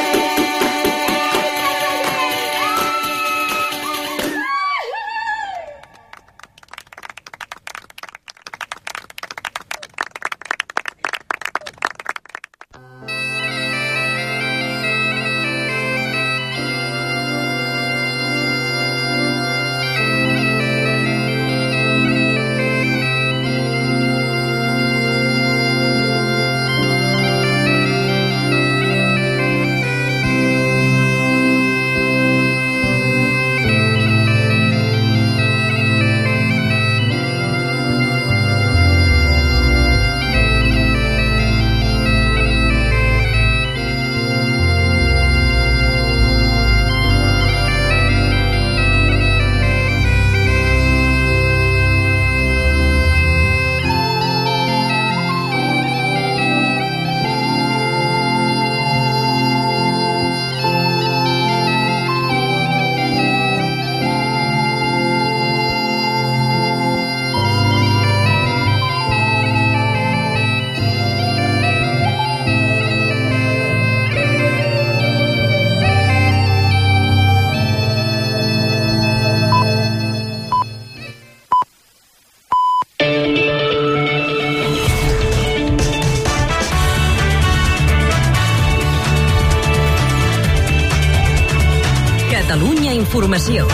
S18: Catalunya Informació.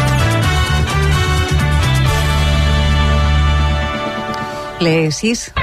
S2: Les 6.